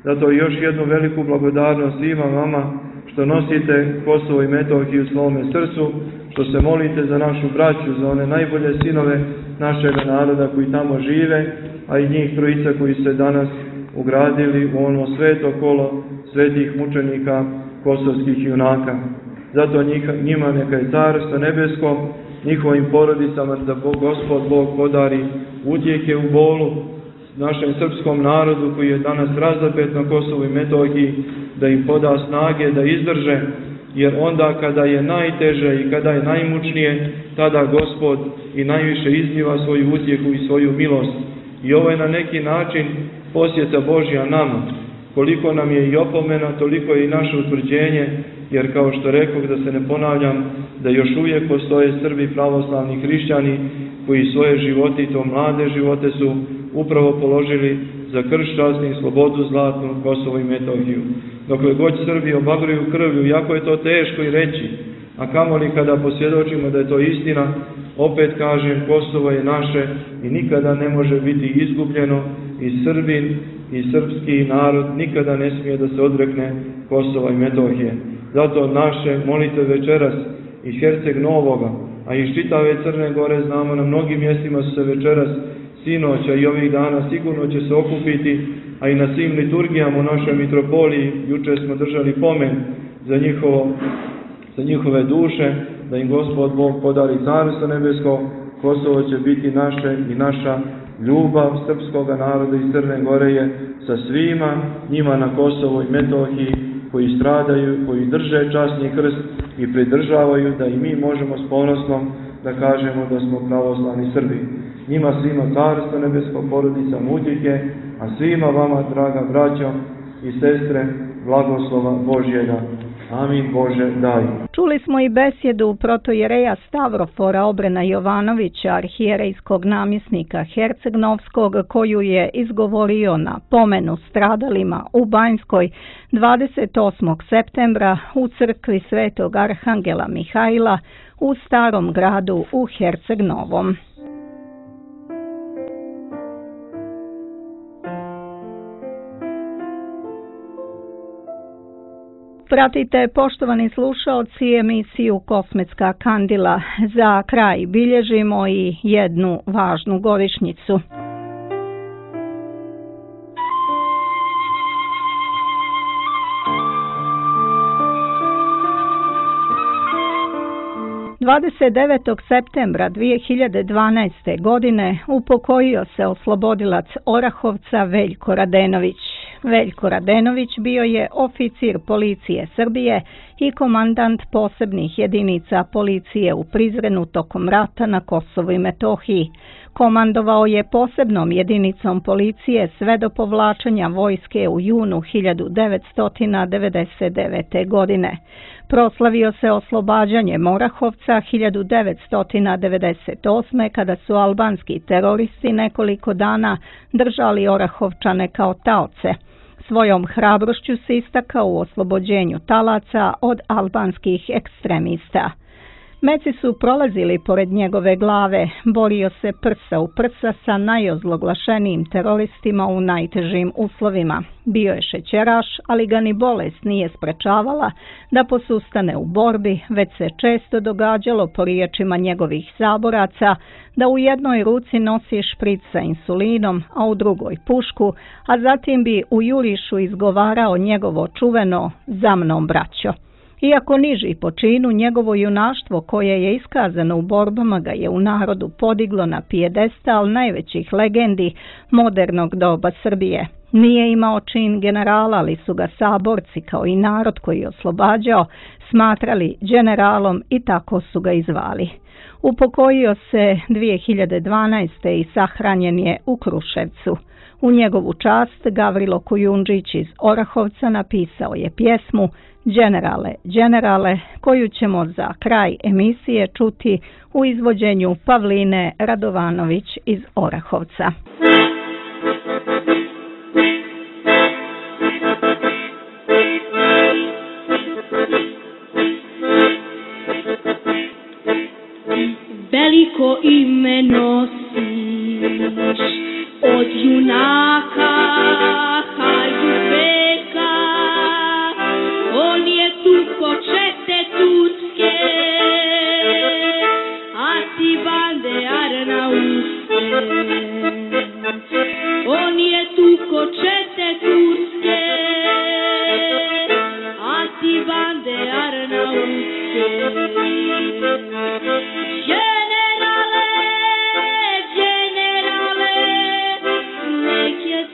Speaker 9: Zato još jednu veliku blagodarnost svima vama što nosite Kosovo i Metohiju u svome srcu, što se molite za našu braću, za one najbolje sinove našeg naroda koji tamo žive, a i njih trojica koji se danas ugradili u ono sveto kolo svetih mučenika kosovskih junaka. Zato njima neka je carstvo nebesko, njihovim porodicama da Bog, Gospod Bog podari utjehe u bolu našem srpskom narodu koji je danas razapet na Kosovu i Metohiji, da im poda snage da izdrže jer onda kada je najteže i kada je najmučnije, tada Gospod i najviše izliva svoju utjehu i svoju milost. I ovo je na neki način posjeta Božja nama. Koliko nam je i opomena, toliko je i naše utvrđenje, jer kao što rekoh, da se ne ponavljam, da još uvijek postoje Srbi pravoslavni hrišćani koji svoje živote, i to mlade živote, su upravo položili za krst časni, slobodu zlatnu, Kosovo i Metohiju. Dokle god Srbi obagruju krvlju, jako je to teško i reći, a kamoli kada posvjedočimo da je to istina, opet kažem, Kosovo je naše i nikada ne može biti izgubljeno, i Srbin i srpski narod nikada ne smije da se odrekne Kosova i Metohije. Zato naše molitve večeras i Herceg Novoga, a i iz čitave Crne Gore, znamo, na mnogim mjestima su se večeras, sinoća i ovih dana sigurno će se okupiti, a i na svim liturgijama u našoj mitropoliji. Juče smo držali pomen za, njihovo, za njihove duše, da im Gospod Bog podari Carstvo nebesko. Kosovo će biti naše i naša ljubav srpskoga naroda iz Crne Gore je sa svima njima na Kosovu i Metohiji koji stradaju, koji drže časni krst i pridržavaju, da i mi možemo s ponosnom da kažemo da smo pravoslavni Srbi. Njima svima Carstvo nebesko, porodicama utjehe, a svima vama, draga braćo i sestre, blagoslova Božjega. Amin Bože, daj.
Speaker 4: Čuli smo i besjedu protojereja Stavrofora Obrena Jovanovića, arhijerejskog namjesnika Herceg-Novskog, koju je izgovorio na pomenu stradalima u Banjskoj dvadeset osmog septembra u crkvi Svetog Arhangela Mihajla u Starom gradu u Herceg-Novom. Pratite, poštovani slušaoci, emisiju Kosmetska kandila. Za kraj bilježimo i jednu važnu godišnjicu. dvadeset devetog septembra dvije hiljade dvanaeste. godine upokojio se oslobodilac Orahovca Veljko Radenović. Veljko Radenović bio je oficir policije Srbije i komandant posebnih jedinica policije u Prizrenu tokom rata na Kosovu i Metohiji. Komandovao je posebnom jedinicom policije sve do povlačenja vojske u junu hiljadu devetsto devedeset devete. godine. Proslavio se oslobađanjem Orahovca hiljadu devetsto devedeset osme. kada su albanski teroristi nekoliko dana držali Orahovčane kao taoce. Svojom hrabrošću se istakao u oslobođenju talaca od albanskih ekstremista. Meci su prolazili pored njegove glave, borio se prsa u prsa sa najozloglašenijim teroristima u najtežim uslovima. Bio je šećeraš, ali ga ni bolest nije sprečavala da posustane u borbi, već se često događalo po riječima njegovih saboraca da u jednoj ruci nosi špric sa insulinom, a u drugoj pušku, a zatim bi u jurišu izgovarao njegovo čuveno "Za mnom, braćo". Iako niži po činu, njegovo junaštvo koje je iskazano u borbama ga je u narodu podiglo na pijedestal najvećih legendi modernog doba Srbije. Nije imao čin generala, ali su ga saborci, kao i narod koji je oslobađao, smatrali generalom i tako su ga i zvali. Upokojio se dvije hiljade dvanaeste. i sahranjen je u Kruševcu. U njegovu čast Gavrilo Kujundžić iz Orahovca napisao je pjesmu "Đenerale, đenerale", koju ćemo za kraj emisije čuti u izvođenju Pavline Radovanović iz Orahovca.
Speaker 10: Veliko ime nosiš od junaka Hajdubeka, on je tuko čete turske, a ti bande arnauske. On je tuko čete turske, a ti bande arnauske. Generale, generale, nek je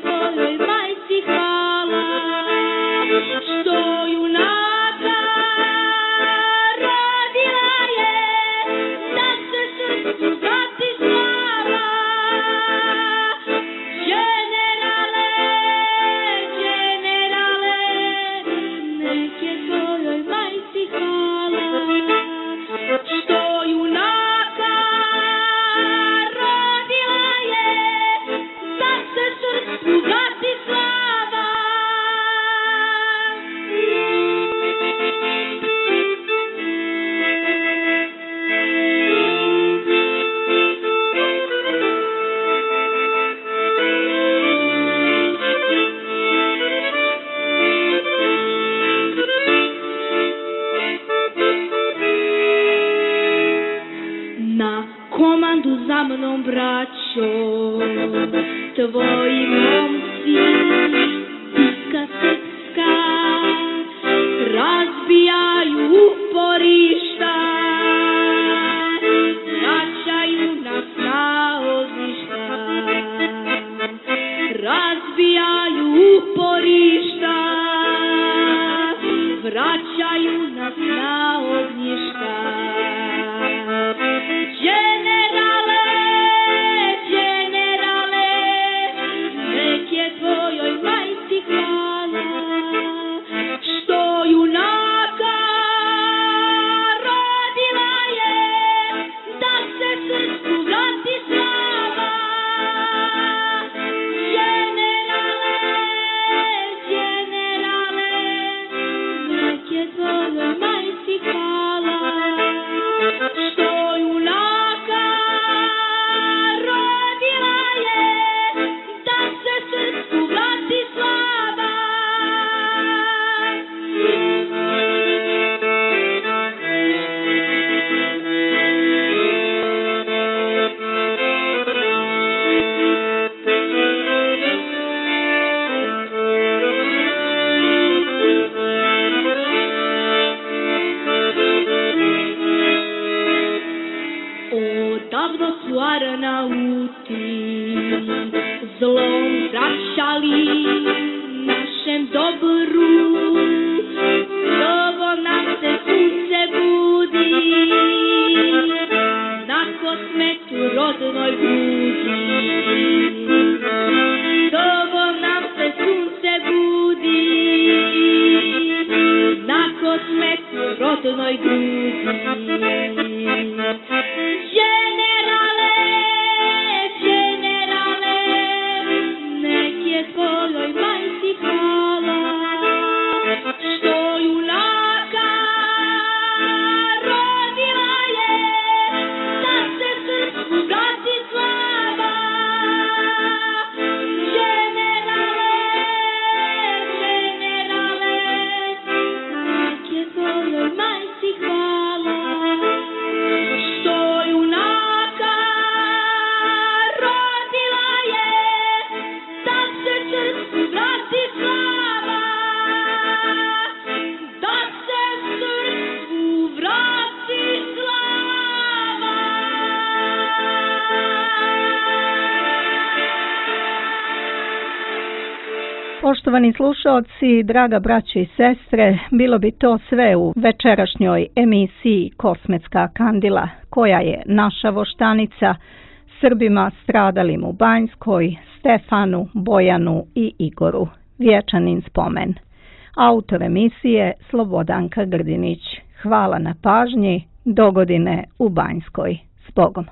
Speaker 10: braćo, tvoji momci, bitka srpska, razbijaju uporišta, vraćaju nas na ognjišta, razbijaju uporišta, vraćaju nas na ognjišta. Generale, generale, nek je tvojoj majci hvala, što junaka rodila je, da se srpsku vrati slava. Generale, generale, nek je tvojoj majci hvala, što junaka rodila je, da se srpsku vrati slava. Odavno su Arnauti zlom vraćali našem dobru, novo nam se sunce budi, na kosmetu rodnoj budi. Novo nam se sunce budi, na kosmetu rodnoj budi. Generale, generale, nek je tvojoj majci hvala, što junaka rodila je, da se srpsku vrati slava. Generale, generale, nek je tvojoj majci hvala, što junaka rodila je, da se srpsku vrati slava. Da se srpsku vrati slava.
Speaker 4: Poštovani slušaoci, draga braćo i sestre, bilo bi to sve u večerašnjoj emisiji Kosmetska kandila, koja je naša voštanica Srbima stradalim u Banjskoj, Stefanu, Bojanu i Igoru. Vječanin spomen. Autor emisije Slobodanka Grdinić. Hvala na pažnji, dogodine u Banjskoj. S Bogom.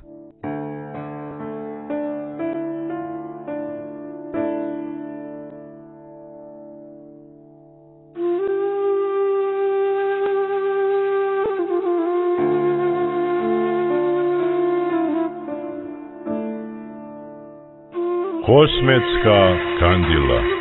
Speaker 1: Kosmetska kandila.